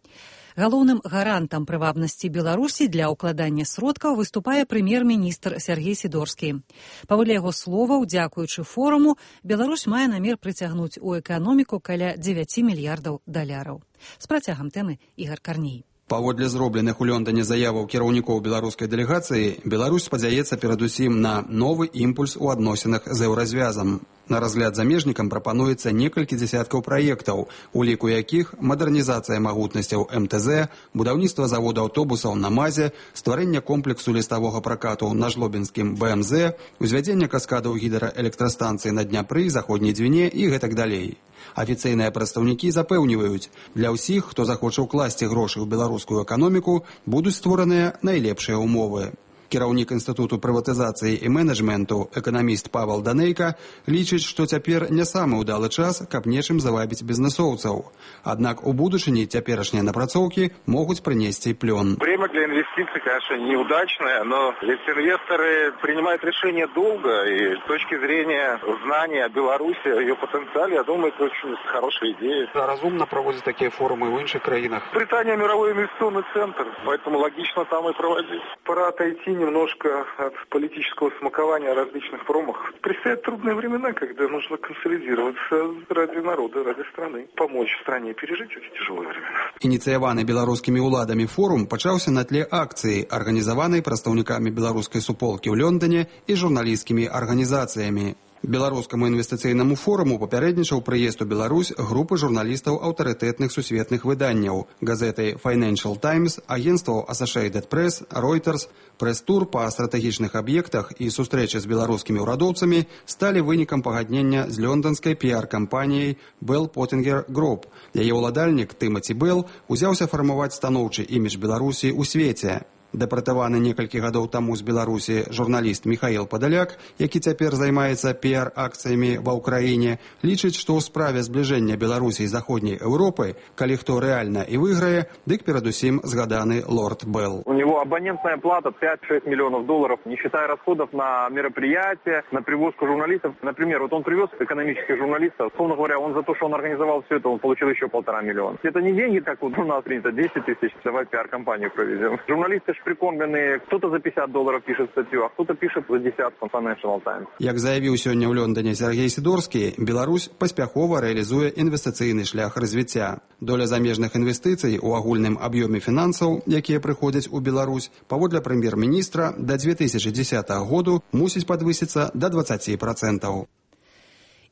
Галоўным гарантам прывабнасці Беларусі для ўкладання сродкаў выступае прэм'ер-міністр Сергей Сідорскі. Паводле яго словаў, дзякуючы форуму, Беларусь мае намер прыцягнуць у эканоміку каля 9 мільярдаў даляраў. З працягам тэмы Ігар Карней. Паводле зробленых у Лондоне заяваў кіраўнікоў беларускай дэлегацыі, Беларусь спадзяецца перадусім на новы імпульс у адносінах з еўразвязам. На разгляд замежнікам прапануецца некалькі дзесяткаў праектаў, у ліку якіх мадэрнізацыя магутнасцяў МТЗ, будаўніцтва завода аўтобусаў на МАЗе, стварэнне комплексу ліставога пракату на жлобінскім БМЗ, узвядзенне каскадаў гідраэлектрастанцыі на Дняпры, заходняй Двіне і гэтак далей. Афіцыйныя прадстаўнікі запэўніваюць, для ўсіх, хто захоча ўкласці грошы ў беларускую эканоміку, будуць створаныя найлепшыя ўмовы. Кіраўнік Інстытуту прыватызацыі і менеджменту, эканаміст Павел Данейка, лічыць, што цяпер не самы ўдалы час, каб нечым завабіць бізнесоўцаў. Аднак у будучыні цяперашнія напрацоўкі могуць прынесці плён. Время для инвестиций, конечно, неудачное, но ведь инвесторы принимают решения долго, и с точки зрения знания о Беларуси, о ее потенциале, я думаю, это очень хорошая идея. Разумно проводить такие форумы в інших краинах. Британия мировой инвестиционный центр, поэтому логично там и проводить. Пора отойти немножко от политического смакования о различных форумах. Предстоят трудные времена, когда нужно консолидироваться ради народа, ради страны, помочь стране пережить эти тяжелые времена. Ініцыяваны беларускімі ўладамі форум пачаўся на тле акцыі, арганізаванай прадстаўнікамі беларускай суполкі ў Лондоне і журналісцкімі арганізацыямі. Беларускаму інвестыцыйнаму форуму папярэднічаў прыезд у Беларусь групы журналістаў аўтарытэтных сусветных выданняў, газеты Financial Times, агенстваў Associated Press, Reuters. Прэс-тур па стратэгічных аб'ектах і сустрэчы з беларускімі ўрадоўцамі сталі вынікам пагаднення з лёнданскай піар-кампаніяй Bell Pottinger Group. Яе ўладальнік Тымаці Белл узяўся фармаваць станоўчы імідж Беларусі ў свеце. Дэпартаваны некалькі гадоў таму з Беларусі журналіст Михаил Падаляк, які цяпер займаецца піар-акцыямі ва ўкраіне, лічыць, што ў справе збліжэння Беларусі і Заходняй Еўропы, калі хто рэальна і выйграе, дык перадусім згаданы лорд Белл. У него абонентная плата 5-6 миллионов долларов, не считая расходов на мероприятия, на привозку журналистов. Например, вот он привез экономических журналистов, условно говоря, он за то, что он организовал все это, он получил еще 1,5 миллиона. Это не деньги, как у нас принято, 10 тысяч, давай пиар-компанию проведем. Журналисты прикормленные, кто-то за $50 пишет статью, а кто-то пишет за десятку Financial Times. Як заявіў сёння ў Лондоне Сергей Сідорскі, Беларусь паспяхова рэалізуе інвестыцыйны шлях развіцця. Доля замежных інвестыцый у агульным аб'ёме фінансаў, якія прыходзяць у Беларусь, паводле прэм'ер-міністра, да 2010 году мусіць падвысіцца да 20%.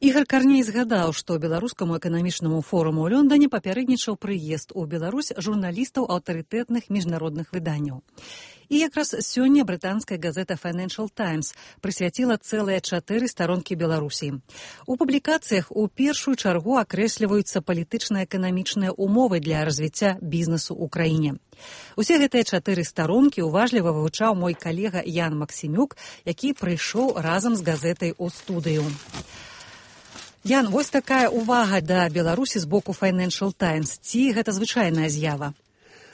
Ігор Карней згадаў, што беларускаму эканамічнаму форуму ў Лондоне папярэднічаў прыезд у Беларусь журналістаў аўтарытэтных міжнародных выданняў. І якраз сёння брытанская газета Financial Times прысвяціла цэлыя 4 старонкі Беларусі. У публікацыях у першую чаргу акрэсліваюцца палітычна-эканамічныя умовы для развіцця бізнесу ў краіне. Усе гэтыя 4 старонкі уважліва вывучаў мой калега Ян Максімюк, які прыйшоў разам з газетай у студыю. Ян, вось такая увага да Беларусі з боку Financial Times. Ці гэта звычайная з'ява?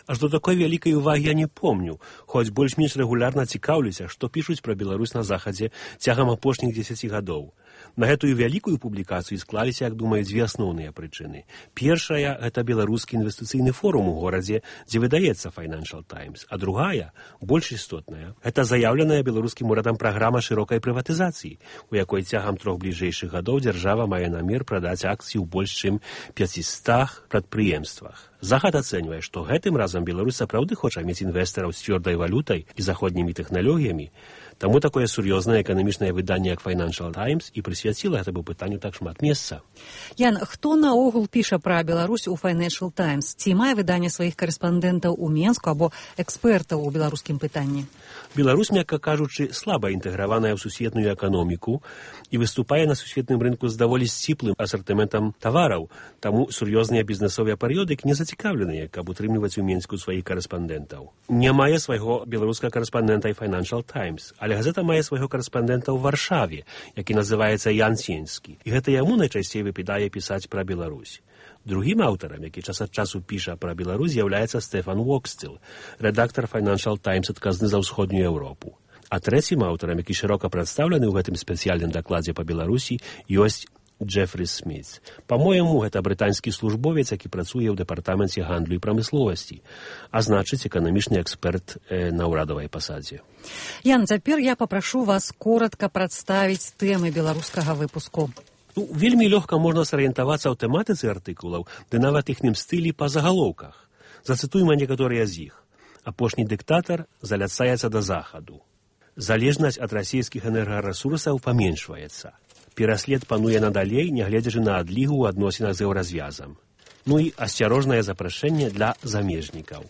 Аж до такой вялікай увагі я не помню, хоць больш-менш рэгулярна цікаўлюся, што пішуць пра Беларусь на захадзе цягам апошніх 10 гадоў. На гэтую вялікую публікацыю склаліся, як думаю, 2 асноўныя прычыны. Першая – гэта беларускі інвестыцыйны форум у горадзе, дзе выдаецца Financial Times. А другая, больш істотная, гэта заяўленая беларускім урадам праграма шырокай прыватызацыі, у якой цягам 3 бліжэйшых гадоў дзяржава мае намер прадаць акцыі ў больш чым 500 прадпрыемствах. Захад ацэньвае, што гэтым разам Беларусь сапраўды хоча мець інвестараў з цвёрдай валютай і заходнімі тэхналогіямі. Таму такое сур'ёзнае эканамічнае выданне, як Financial Times, і прысвяціла гэтаму пытанню так шмат месца. Ян, хто наогул піша пра Беларусь у Financial Times? Ці мае выданне сваіх карэспандэнтаў у Менску або экспертаў у беларускім пытанні? Беларусь, мякка кажучы, слаба інтэграваная ў сусветную эканоміку і выступае на сусветным рынку з даволі сціплым асартыментам тавараў, таму сур'ёзныя бізнесовыя перыёдыкі не зацікаўленыя, каб утрымліваць у Менску сваіх карэспандэнтаў. Не мае свайго беларускага карэспандэнта і Financial Times, але газета мае свайго карэспандэнта ў Варшаве, які называецца Ян Сенскі, і гэта яму найчасцей выпадае пісаць пра Беларусь. Другім аўтарам, які час ад часу піша пра Беларусь, з'яўляецца Стэфан Уоксціл, рэдактар Financial Times, адказны за ўсходнюю Еўропу. А трэцім аўтарам, які шырока прадстаўлены ў гэтым спецыяльным дакладзе па Беларусі, ёсць Джефрі Сміт. Па-мойму, гэта брытанскі службовец, які працуе ў дэпартаменце гандлю і прамысловасці, а значыць, эканамічны эксперт на ўрадавай пасадзе. Ян, цяпер я папрашу вас коратка прадставіць тэмы беларускага выпуску. Вельмі лёгка можна сарыентавацца ў тэматыцы артыкулаў, ды нават іхнім стылі па загалоўках. Зацытуйма некаторыя з іх. Апошні дыктатар заляцаецца да захаду. Залежнасць ад расійскіх энергарэсурсаў паменшваецца. Пераслед пануе надалей, нягледзячы на адлігу ў адносінах з еўразвязам. Ну і асцярожнае запрашэнне для замежнікаў.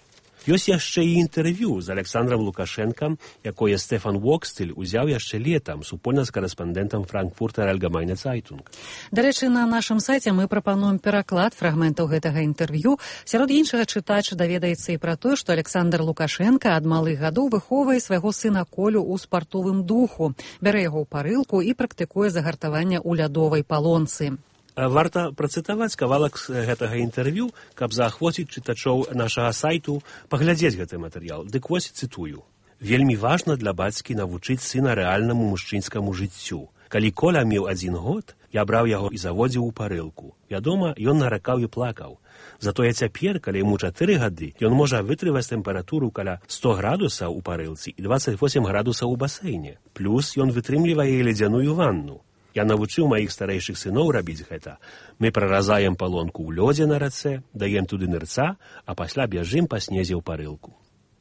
Ёсць яшчэ і інтэрв'ю з Александром Лукашэнкам, якое Стэфан Уоксціл узяў яшчэ летам супольна з карэспандэнтам Франкфуртер Allgemeine Zeitung. Дарэчы, на нашым сайце мы прапануем пераклад фрагментаў гэтага інтэрв'ю. Сярод іншага чытач даведаецца і пра тое, што Александр Лукашэнка ад малых гадоў выхоўвае свайго сына Колю ў спартовым духу, бярэ яго ў парылку і практыкуе загартаванне ў лядовай палонцы. Варта працытаваць кавалак з гэтага інтэрв'ю, каб заахвоціць чытачоў нашага сайту паглядзець гэты матэрыял. Дык вось цытую. Вельмі важна для бацькі навучыць сына рэальнаму мужчынскаму жыццю. Калі Коля меў 1 год, я браў яго і заводзіў у парылку. Вядома, ён наракаў і плакаў. Затое цяпер, калі яму 4 гады, ён можа вытрываць тэмпературу каля 100 градусаў у парылцы і 28 градусаў у басейне. Плюс ён вытрымлівае ледзяную ванну. Я навучыў маіх старэйшых сыноў рабіць гэта. Мы праразаем палонку ў лёдзе на рацэ, даем туды нырца, а пасля бяжым па снезе ў парылку.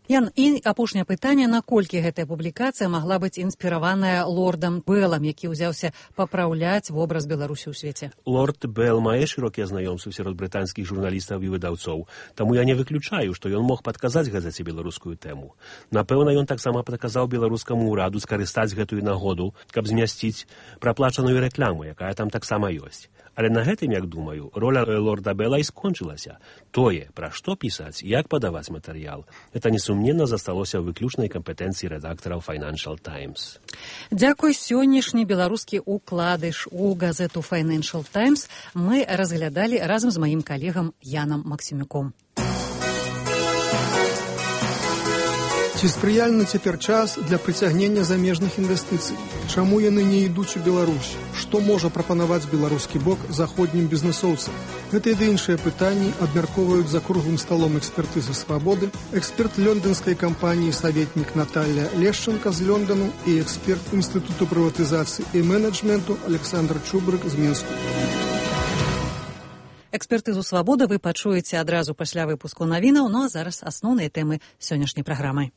Ян, і апошняе пытанне, наколькі гэтая публікацыя магла быць інспіраваная лордам Беллам, які ўзяўся папраўляць вобраз Беларусі ў свеце? Лорд Белл мае шырокія знаёмствы сярод брытанскіх журналістаў і выдаўцоў, таму я не выключаю, што ён мог падказаць газеце беларускую тэму. Напэўна, ён таксама падказаў беларускаму ўраду скарыстаць гэтую нагоду, каб змясціць праплачаную рэкламу, якая там таксама ёсць. Але на гэтым, як думаю, роля лорда Белла і скончылася. Тое, пра што пісаць, як падаваць матэрыял, гэта несумненна засталося ў выключнай кампетэнцыі рэдактараў Financial Times. Дзякуй, сённяшні беларускі укладыш у газету Financial Times мы разглядалі разам з маім калегам Янам Максімюком. Ці спрыяльны цяпер час для прыцягнення замежных інвестыцый? Чаму яны не ідуць у Беларусь? Што можа прапанаваць беларускі бок заходнім бізнесоўцам? Гэта і іншыя пытанні абмяркоўваюць за круглым сталом экспертызы «Свабоды», эксперт лёндонскай кампаніі «Саветнік» Наталья Лешченко з Лёндану і эксперт Інстытуту прыватызацыі і менеджменту Александр Чубрык з Мінску. Экспертызу «Свабода» вы пачуеце адразу пасля выпуску навінаў, ну а зараз асноўныя тэмы сённяшняй праграмы.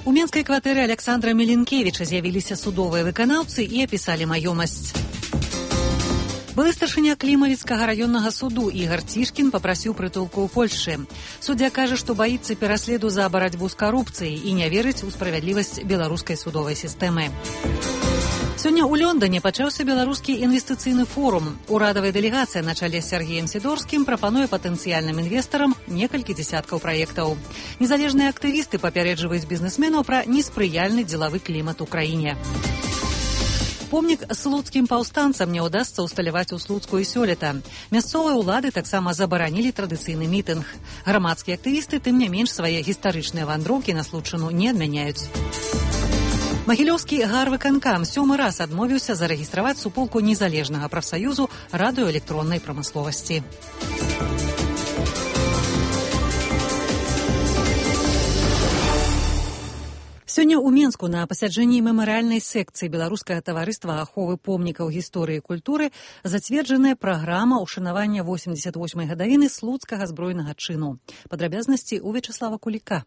У менскай кватэры Александра Меленкевіча з'явіліся судовыя выканаўцы і апісалі маёмасць. Былы старшыня Клімавіцкага раённага суду Ігар Цішкін папрасіў прытулку ў Польшчы. Суддзя кажа, што баіцца пераследу за барацьбу з карупцыяй і не верыць у справядлівасць беларускай судовай сістэмы. Сёння ў Лёндане пачаўся беларускі інвестыцыйны форум. Урадавая дэлегацыя на чале з Сергеем Сідорскім прапануе патэнцыяльным інвестарам некалькі дзесяткаў праектаў. Незалежныя актывісты папярэджваюць бізнесменаў пра неспрыяльны дзелавы клімат у краіне. Помнік слуцкім паўстанцам не ўдасца ўсталяваць у Слуцку і сёлета. Мясцовыя ўлады таксама забаранілі традыцыйны мітынг. Грамадскія актывісты, тым не менш, свае гістарычныя вандроўкі на Случыну не адмяняюць. Магілёўскі гарвыканкам 7-ы раз адмовіўся зарэгістраваць суполку незалежнага прафсаюзу радыёэлектроннай прамысловасці. Сёння ў Менску на пасяджэнні мемарыяльнай секцыі Беларускага таварыства аховы помнікаў гісторыі і культуры зацверджаная праграма ўшанавання 88-й гадавіны слуцкага збройнага чыну. Падрабязнасці ў Вячеслава Куліка.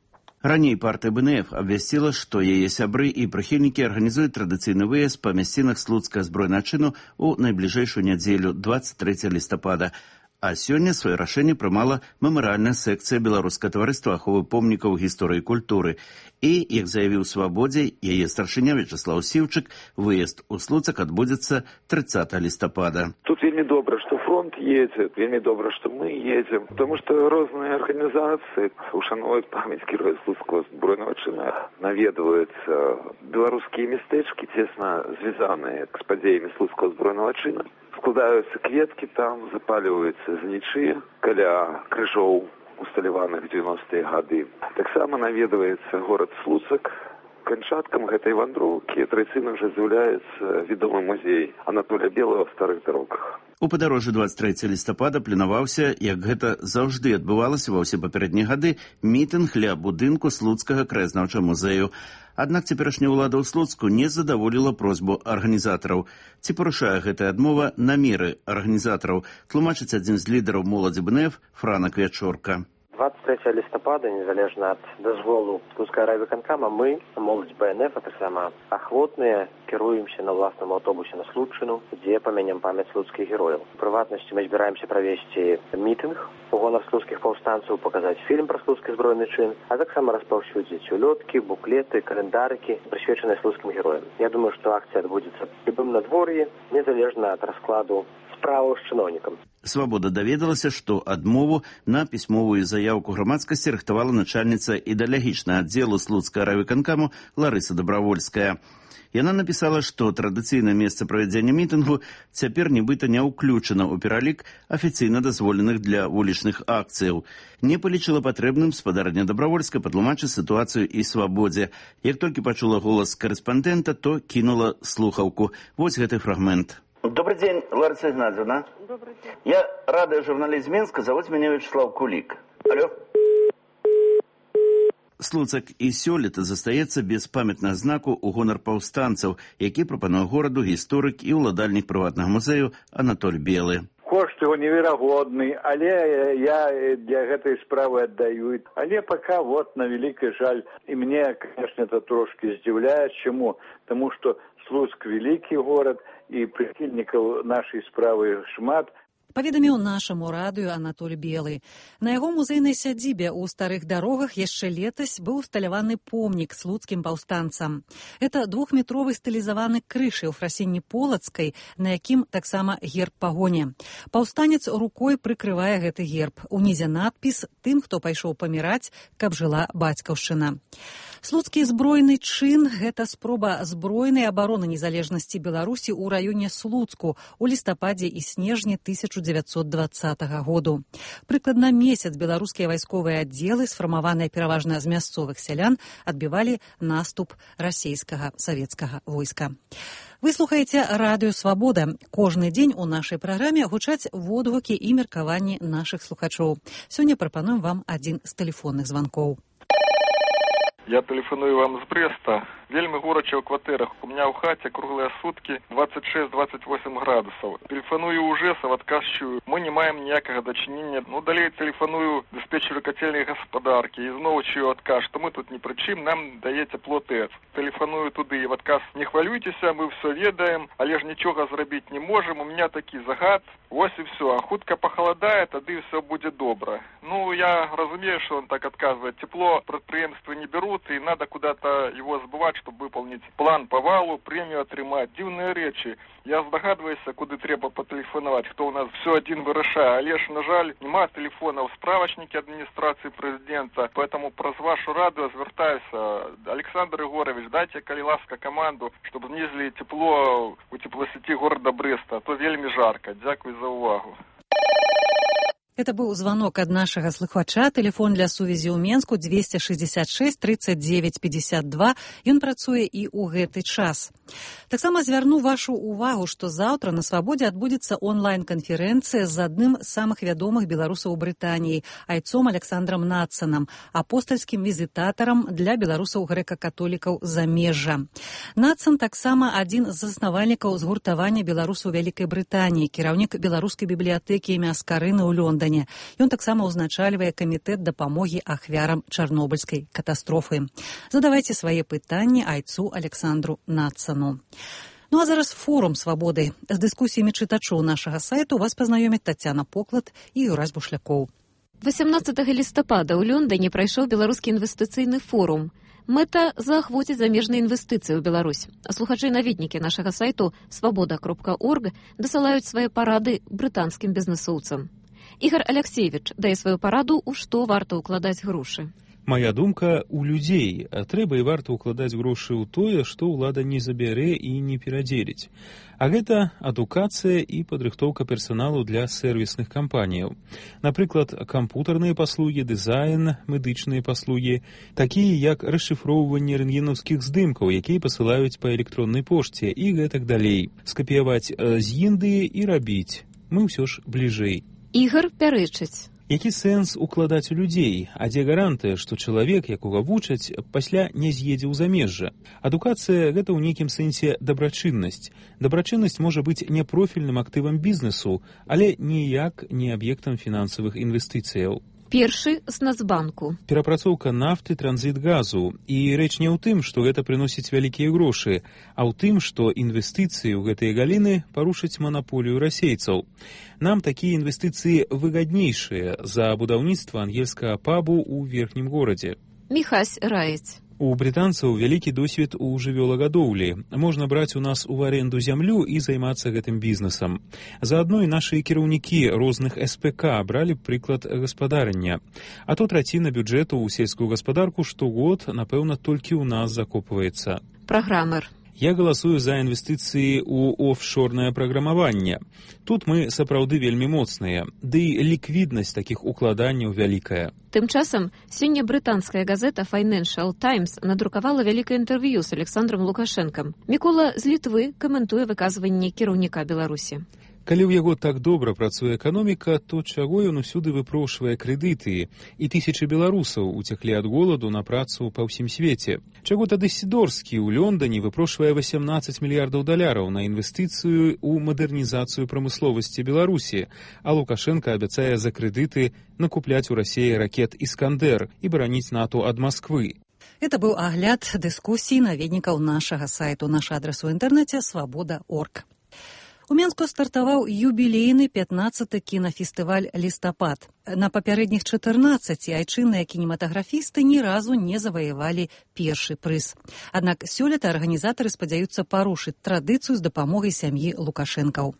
Раней партыя БНФ абвясціла, што яе сябры і прыхільнікі арганізуюць традыцыйны выезд па мясцінах слуцкага збройнага чыну ў найбліжэйшую нядзелю 23 лістапада. А сёння сваё рашэнне прымала мемарыяльная секцыя Беларускага таварыства аховы помнікаў гісторыі і культуры. І, як заявіў «Свабодзе», яе старшыня Вячеслав Сіўчык, выезд у Слуцак адбудзецца 30 лістапада. Тут вельмі добра, што фронт едзе, вельмі добра, што мы едзем, потому што розныя арганізацыі ушануюць памяць герояў слуцкага збройнага чына, наведваюцца беларускія мястэчкі, цесна звязаныя з падзеямі слуцкага збройнага чына. Складаюцца кветкі там, запаліваюцца знічы каля крыжоў, усталяваных 90-е гады. Таксама наведваецца горад Слуцак. Канчаткам гэтай вандроўкі традыцыйна ўжо з'яўляецца вядомы музей Анатолія Белага ў старых дарогах. У падарожжы 23 лістапада планаваўся, як гэта заўжды адбывалася ва ўсе папярэднія гады, мітынг ля будынку Слуцкага краязнаўчага музею. Аднак цяперашняя ўлада ў Слуцку не задаволіла просьбу арганізатараў. Ці парушае гэтая адмова намеры арганізатараў, тлумачыць адзін з лідараў моладзі БНФ Франак Вячорка. 23 лістапада, незалежна ад дазволу Слуцкага райвыканкама, мы, моладзь БНФ, а таксама ахвотныя, кіруемся на ўласным аўтобусе на Случыну, дзе памянем памяць слуцкіх герояў. У прыватнасці мы збіраемся правесці мітынг у гонар слуцкіх паўстанцаў, паказаць фільм пра слуцкі збройны чын, а таксама распаўсюдзіць улёткі, буклеты, календарыкі, прысвечаныя слуцкім героям. Я думаю, што акцыя адбудзецца ў любым надвор'і, незалежна ад раскладу справаў з чыноўнікам. «Свабода» даведалася, што адмову на пісьмовую заяўку грамадскасці рыхтавала начальніца ідэалагічнага аддзелу слуцкага райвыканкаму Ларыса Дабравольская. Яна напісала, што традыцыйнае месца правядзення мітынгу цяпер нібыта не ўключана ў пералік афіцыйна дазволеных для вулічных акцыяў. Не палічыла патрэбным спадарня Дабравольская патлумачыць сітуацыю і «Свабодзе». Як толькі пачула голас карэспандэнта, то кінула слухаўку. Вось гэты фрагмент. Добрый день, Лариса Игнатьевна. Добрый день. Я радиожурналист Минска, зовут меня Вячеслав Кулик. Алло. Слуцак і сёлета застаецца без памятнага знаку ў гонар паўстанцаў, які прапануе гораду гісторык і ўладальнік прыватнага музею Анатоль Белы. кошт его неверагодны, але я для гэтай справы аддаю. Але пока вот на великий жаль. И мне, конечно, это трошки здзіўляе. Чему? Потому что Слуцк великий город, и прихильников нашей справы шмат. Паведаміў нашаму радыё Анатоль Белы. На яго музейнай сядзібе ў старых дарогах яшчэ летась быў усталяваны помнік слуцкім паўстанцам. Это 2-метровы стылізаваны крыж Еўфрасіні Полацкай, на якім таксама герб пагоні. Паўстанец рукой прыкрывае гэты герб. Унізе надпіс «Тым, хто пайшоў паміраць, каб жыла бацькаўшчына». Слуцкі збройны чын – гэта спроба збройнай абароны незалежнасці Беларусі ў раёне Слуцку ў лістападзе і снежні 1920 году. Прыкладна месяц беларускія вайсковыя аддзелы, сфармаваныя пераважна з мясцовых сялян, адбівалі наступ расійскага савецкага войска. Вы слухаеце радыё «Свабода». Кожны дзень у нашай праграме гучаць водгукі і меркаванні нашых слухачоў. Сёння прапануем вам адзін з тэлефонных званкоў. Я тэлефаную вам з Брэста. Вельмі горача ў кватэрах. У меня ў хаце круглыя суткі 26-28 градусаў. Тэлефаную ў Ужэсаў, адказчую. Мы не маем ніякага дачынення. Далей тэлефаную дыспетчеру кацельнай гаспадаркі. І зноў чую адказ, што мы тут ні пры чым, нам дае цепло ТЭЦ. Тэлефаную туды і в адказ: не хвалюйцеся, мы ўсё ведаем, але ж нічога зрабіць не можам. У меня такі загад. Вось і все. А хутка пахаладае, тады ўсё будзе добра. Я разумею, что он так отказывает. Тепло предприятия не берут, и надо куда-то его сбывать, чтобы выполнить план по валу, премию отрымать. Дивные речи. Я здогадываюсь, куда треба потелефоновать, кто у нас все один вырашае. Але ж, на жаль, нема телефона в справочнике администрации президента, поэтому праз вашу радио звертаюся. Александр Егорович, дайте, коли ласка, команду, чтобы снизили тепло у теплосети города Бреста, а то вельми жарко. Дякую за увагу. Это быў звонок ад нашага слухача. Тэлефон для сувязі ў Менску 266 39 52. Ён працуе і ў гэты час. Таксама звярну вашу увагу, што заўтра на Свабодзе адбудзецца онлайн-канферэнцыя з адным з самых вядомых беларусаў у Брытаніі, айцом Александром Надсанам, апостальскім візітатарам для беларусаў грэка-католікаў замежжа. Надсан таксама адзін з заснавальнікаў згуртавання беларусаў Вялікай Брытаніі, кіраўнік беларускай бібліятэкі імя Аскарыны ў Лондоне. Ён таксама ўзначальвае камітэт дапамогі ахвярам чарнобыльскай катастрофы. Задавайце свае пытанні айцу Александру Надсану. А зараз форум «Свабоды». З дыскусіямі чытачоў нашага сайту вас пазнаёмяць Тацяна Поклад і Юрась Бушлякоў. 18 лістапада ў Лондоне прайшоў беларускі інвестыцыйны форум. Мэта – заахвоціць замежныя інвестыцыі ў Беларусь. А слухачы-наведнікі нашага сайту свабода.орг дасылаюць свае парады брытанскім бізнесоўцам. Ігор Алексеевич дае сваю параду, у што варта ўкладаць грошы. Моя думка – у людзей. Трэба і варта ўкладаць грошы ў тое, што ўлада не забярэ і не перадзеліць. А гэта адукацыя і падрыхтоўка персаналу для сэрвісных кампаніяў. Напрыклад, кампутарныя паслугі, дызайн, медычныя паслугі, такія як расшыфроўванне рэнтгенаўскіх здымкаў, якія пасылаюць па электроннай пошце і гэтак далей. Скапіяваць з Індыі і рабіць. Мы ўсё ж бліжэй. Ігор пярэчыць. Які сэнс укладаць у людзей? А дзе гарантыя, што чалавек, якога вучаць, пасля не з'едзе ў замежжа? Адукацыя – гэта ў нейкім сэнсе дабрачыннасць. Дабрачыннасць можа быць не профільным актывам бізнесу, але ніяк не аб'ектам фінансавых інвестыцыяў. Першы з Нацбанку. Перапрацоўка нафты, транзіт газу. І рэч не ў тым, што гэта прыносіць вялікія грошы, а ў тым, што інвестыцыі ў гэтыя галіны парушаць манаполію расейцаў. Нам такія інвестыцыі выгаднейшыя за будаўніцтва ангельскага пабу ў верхнім горадзе. Міхась раіць. У брытанцаў вялікі досвед у жывёлагадоўлі. Можна браць у нас у аренду зямлю і займацца гэтым бізнесам. Заадно і нашы кіраўнікі розных СПК бралі прыклад гаспадарання. А то траціна бюджэту ў сельскую гаспадарку штогод, напэўна, толькі ў нас закопваецца. Праграмер. Я галасую за інвестыцыі ў офшорнае праграмаванне. Тут мы сапраўды вельмі моцныя, ды і ліквіднасць такіх укладанняў вялікая. Тым часам, сёння брытанская газета Financial Times надрукавала вялікае інтэрв'ю з Александром Лукашэнкам. Мікола з Літвы каментуе выказванне кіраўніка Беларусі. Калі ў яго так добра працуе эканоміка, то чаго ён усюды выпрошвае крэдыты, і тысячы беларусаў уцеклі ад голаду на працу па ўсім свеце? Чаго тады Сідорскі ў Лондоне выпрошвае 18 мільярдаў даляраў на інвестыцыю ў мадэрнізацыю прамысловасці Беларусі, а Лукашенко абяцае за крэдыты накупляць у Расіі ракет «Іскандер» і бараніць НАТО ад Масквы? Это быў агляд дыскусій наведнікаў нашага сайту. Наш адрас у інтэрнэце свабода.орг. У Менску стартаваў юбілейны 15-й кінафестываль «Лістапад». На папярэдніх 14 айчынныя кінематаграфісты ні разу не заваявалі першы прыз. Аднак сёлета арганізатары спадзяюцца парушыць традыцыю з дапамогай сям'і Лукашэнкаў.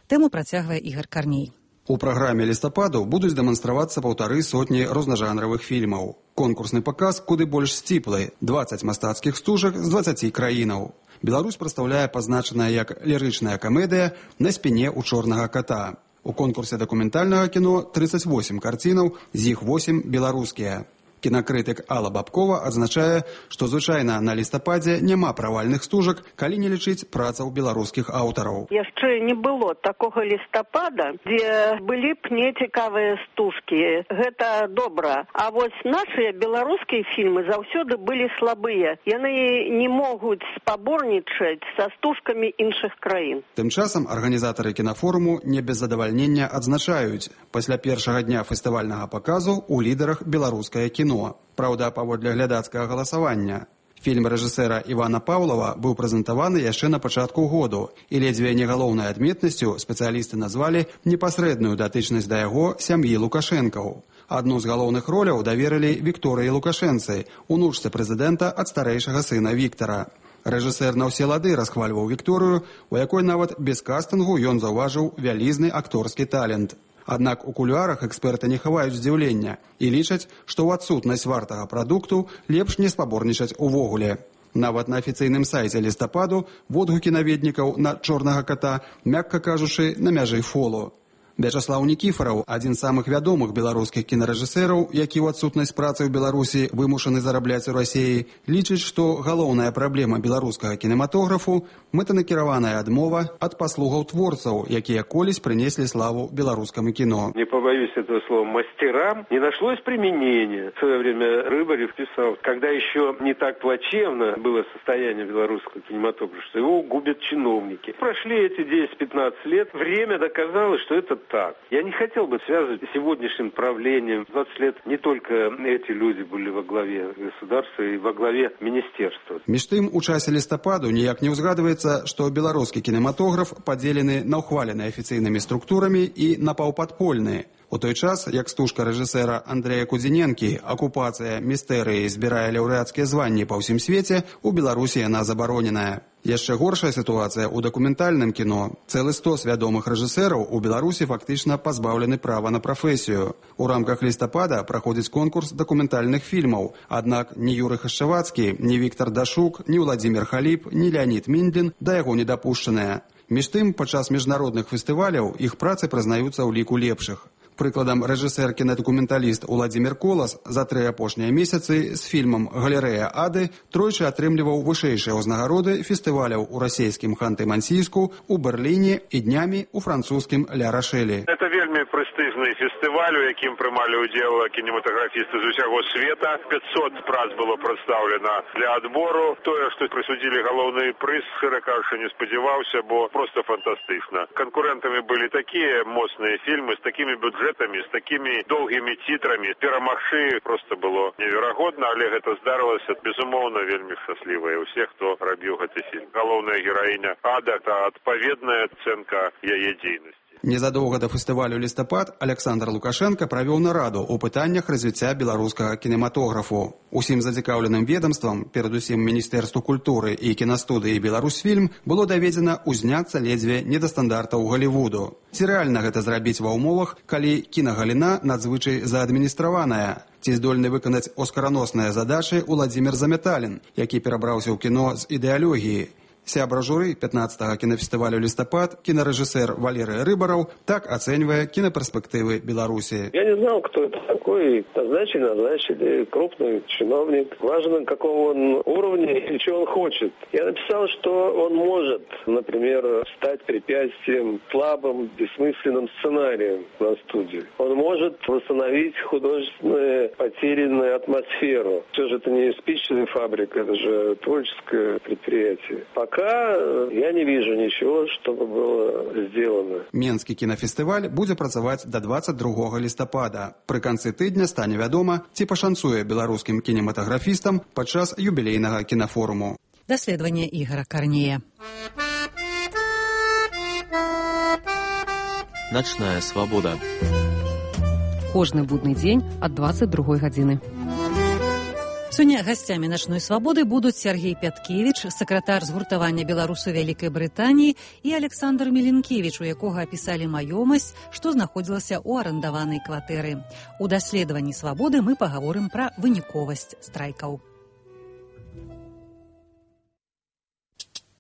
Тэму працягвае Ігор Карней. У праграме «Лістападу» будуць дэманстравацца 150 рознажанравых фільмаў. Конкурсны паказ куды больш сціплы – 20 мастацкіх стужак з 20 краінаў. Беларусь прадстаўляе пазначаная як лірычная камедыя «На спіне ў чорнага ката». У конкурсе дакументальнага кіно 38 карцінаў, з іх 8 беларускія. Кінакрытык Алла Бабкова адзначае, што звычайна на лістападзе няма правальных стужак, калі не лічыць працаў беларускіх аўтараў. Яшчэ не было такога лістапада, дзе былі б нецікавыя стужкі. Гэта добра. А вось нашыя беларускія фільмы заўсёды былі слабыя. Яны не могуць спаборнічаць са стужкамі іншых краін. Тым часам арганізатары кінафоруму не без задавальнення адзначаюць, пасля першага дня фестывальнага паказу у лідарах беларускае кіно. Праўда, паводле глядацкага галасавання. Фільм рэжысэра Івана Паўлава быў прэзентаваны яшчэ на пачатку году, і ледзьве не галоўнай адметнасцю спецыялісты назвалі непасрэдную датычнасць да яго сям'і Лукашэнкаў. Адну з галоўных роляў даверылі Вікторыі Лукашэнцы, унучцы прэзідэнта ад старэйшага сына Віктара. Рэжысэр на ўсе лады расхвальваў Вікторыю, у якой нават без кастынгу ён заўважыў вялізны акторскі талент. Аднак у кулуарах эксперты не хаваюць здзіўлення і лічаць, што ў адсутнасць вартага прадукту лепш не спаборнічаць увогуле. Нават на афіцыйным сайце «Лістападу» водгукі наведнікаў на «Чорнага ката», мякка кажучы, на мяжы фолу. Вячаслаў Нікіфараў, адзін з самых вядомых беларускіх кінарэжысэраў, які ў адсутнасць працы ў Беларусі вымушаны зарабляць у Расіі, лічыць, што галоўная праблема беларускага кінематографу – мэтанакіраваная адмова ад паслугаў творцаў, якія колісь принесли славу белорусскому кино. Не побоюсь этого слова, мастерам не нашлось применения. В свое время Рыбарев писал, когда еще не так плачевно было состояние белорусского кинематографа, что его губят чиновники. Прошли эти 10-15 лет, время доказало, что это так. Я не хотел бы связывать с сегодняшним правлением. 20 лет не только эти люди были во главе государства и во главе министерства. Між тым, у часе лістападу ніяк не ўзгадваецца, што беларускі кінематограф падзелены на ўхвалены афіцыйнымі структурамі і напаўпадпольны. У той час, як стужка рэжысэра Андрэя Кудзіненкі «Акупацыя містэрыі» збірае лаўрэацкія званні па ўсім свеце, у Беларусі яна забароненая. Яшчэ горшая сітуацыя ў дакументальным кіно. Цэлы 100 вядомых рэжысэраў у Беларусі фактычна пазбаўлены права на прафесію. У рамках лістапада праходзіць конкурс дакументальных фільмаў, аднак ні Юры Хашчавацкі, ні Віктар Дашук, ні Владзімір Халіп, ні Леонід Міндлін да яго не дапушчаныя. Між тым, падчас міжнародных фестываляў іх працы прызнаюцца ў ліку лепшых. Прыкладам, рэжысэр-кінадакументаліст Уладзімір Колас за 3 апошнія месяцы з фільмам «Галерэя Ады» тройчы атрымліваў вышэйшыя ўзнагароды фестываляў у расійскім Ханты-Мансійску, у Берліне і днямі у французскім Ля-Рашэлі. Это вельмі прэстыжны фестываль, у якім прымалі ўдзел кінематаграфісты з усяго света. 500 прац было прадстаўлена для адбору. Тое, што прысудзілі галоўны прыз, шчыра кажучы, не спадзяваўся, бо просто фантастычна. Канкурэнтамі былі такія моцныя фільмы з такімі бюджэтамі, с такими долгими титрами. Перамагчы просто было неверагодна, але гэта здарылася, безумоўна, вельмі шчаслівая у всех, хто рабіў гэты фільм. Галоўная гераіня Ада – это адпаведная ацэнка яе дзейнасці. Незадоўга да фестывалю «Лістапад» Александр Лукашенко правёў нараду ў пытаннях развіцця беларускага кінематографу. Усім зацікаўленым ведомствам, перадусім Міністэрству культуры і кінастудыі «Беларусьфільм», было даведзена ўзняцца ледзьве не да стандартаў Голлівуду. Ці рэальна гэта зрабіць ва ўмовах, калі кінагаліна надзвычай заадміністраваная? Ці здольны выканаць оскараносныя задачы Уладзімір Заметалін, які перабраўся ў кіно з ідэалогіі? Сябра журы 15-го кинофестивалю «Листопад» кинорэжысэр Валерий Рыбаров так оценивая киноперспективы Беларуси. Я не знал, кто это такой. Назначили. Крупный чиновник. Важно, какого он уровня и чего он хочет. Я написал, что он может, например, стать препятствием слабым, бессмысленным сценарием на студии. Он может восстановить художественную потерянную атмосферу. Все же это не спичная фабрика, это же творческое предприятие. Пока я не вижу ничего, чтобы было сделано. Менскі кінафестываль будзе працаваць до 22 лістапада. Пры канцы тыдня стане вядома, ці пашанцуе беларускім кінематаграфістам падчас юбілейнага кінафоруму. Даследаванне Ігора Карнея. Ночная свобода. Кожны будны дзень ад 22 гадзіны. Сёння гасцямі «Начной свабоды» будуць Сергей Пяткевіч, сакратар згуртавання беларусаў Вялікай Брытаніі, і Александр Меленкевіч, у якога апісалі маёмасць, што знаходзілася ў арандаванай кватэры. У даследаванні свабоды мы пагаворым пра выніковасць страйкаў.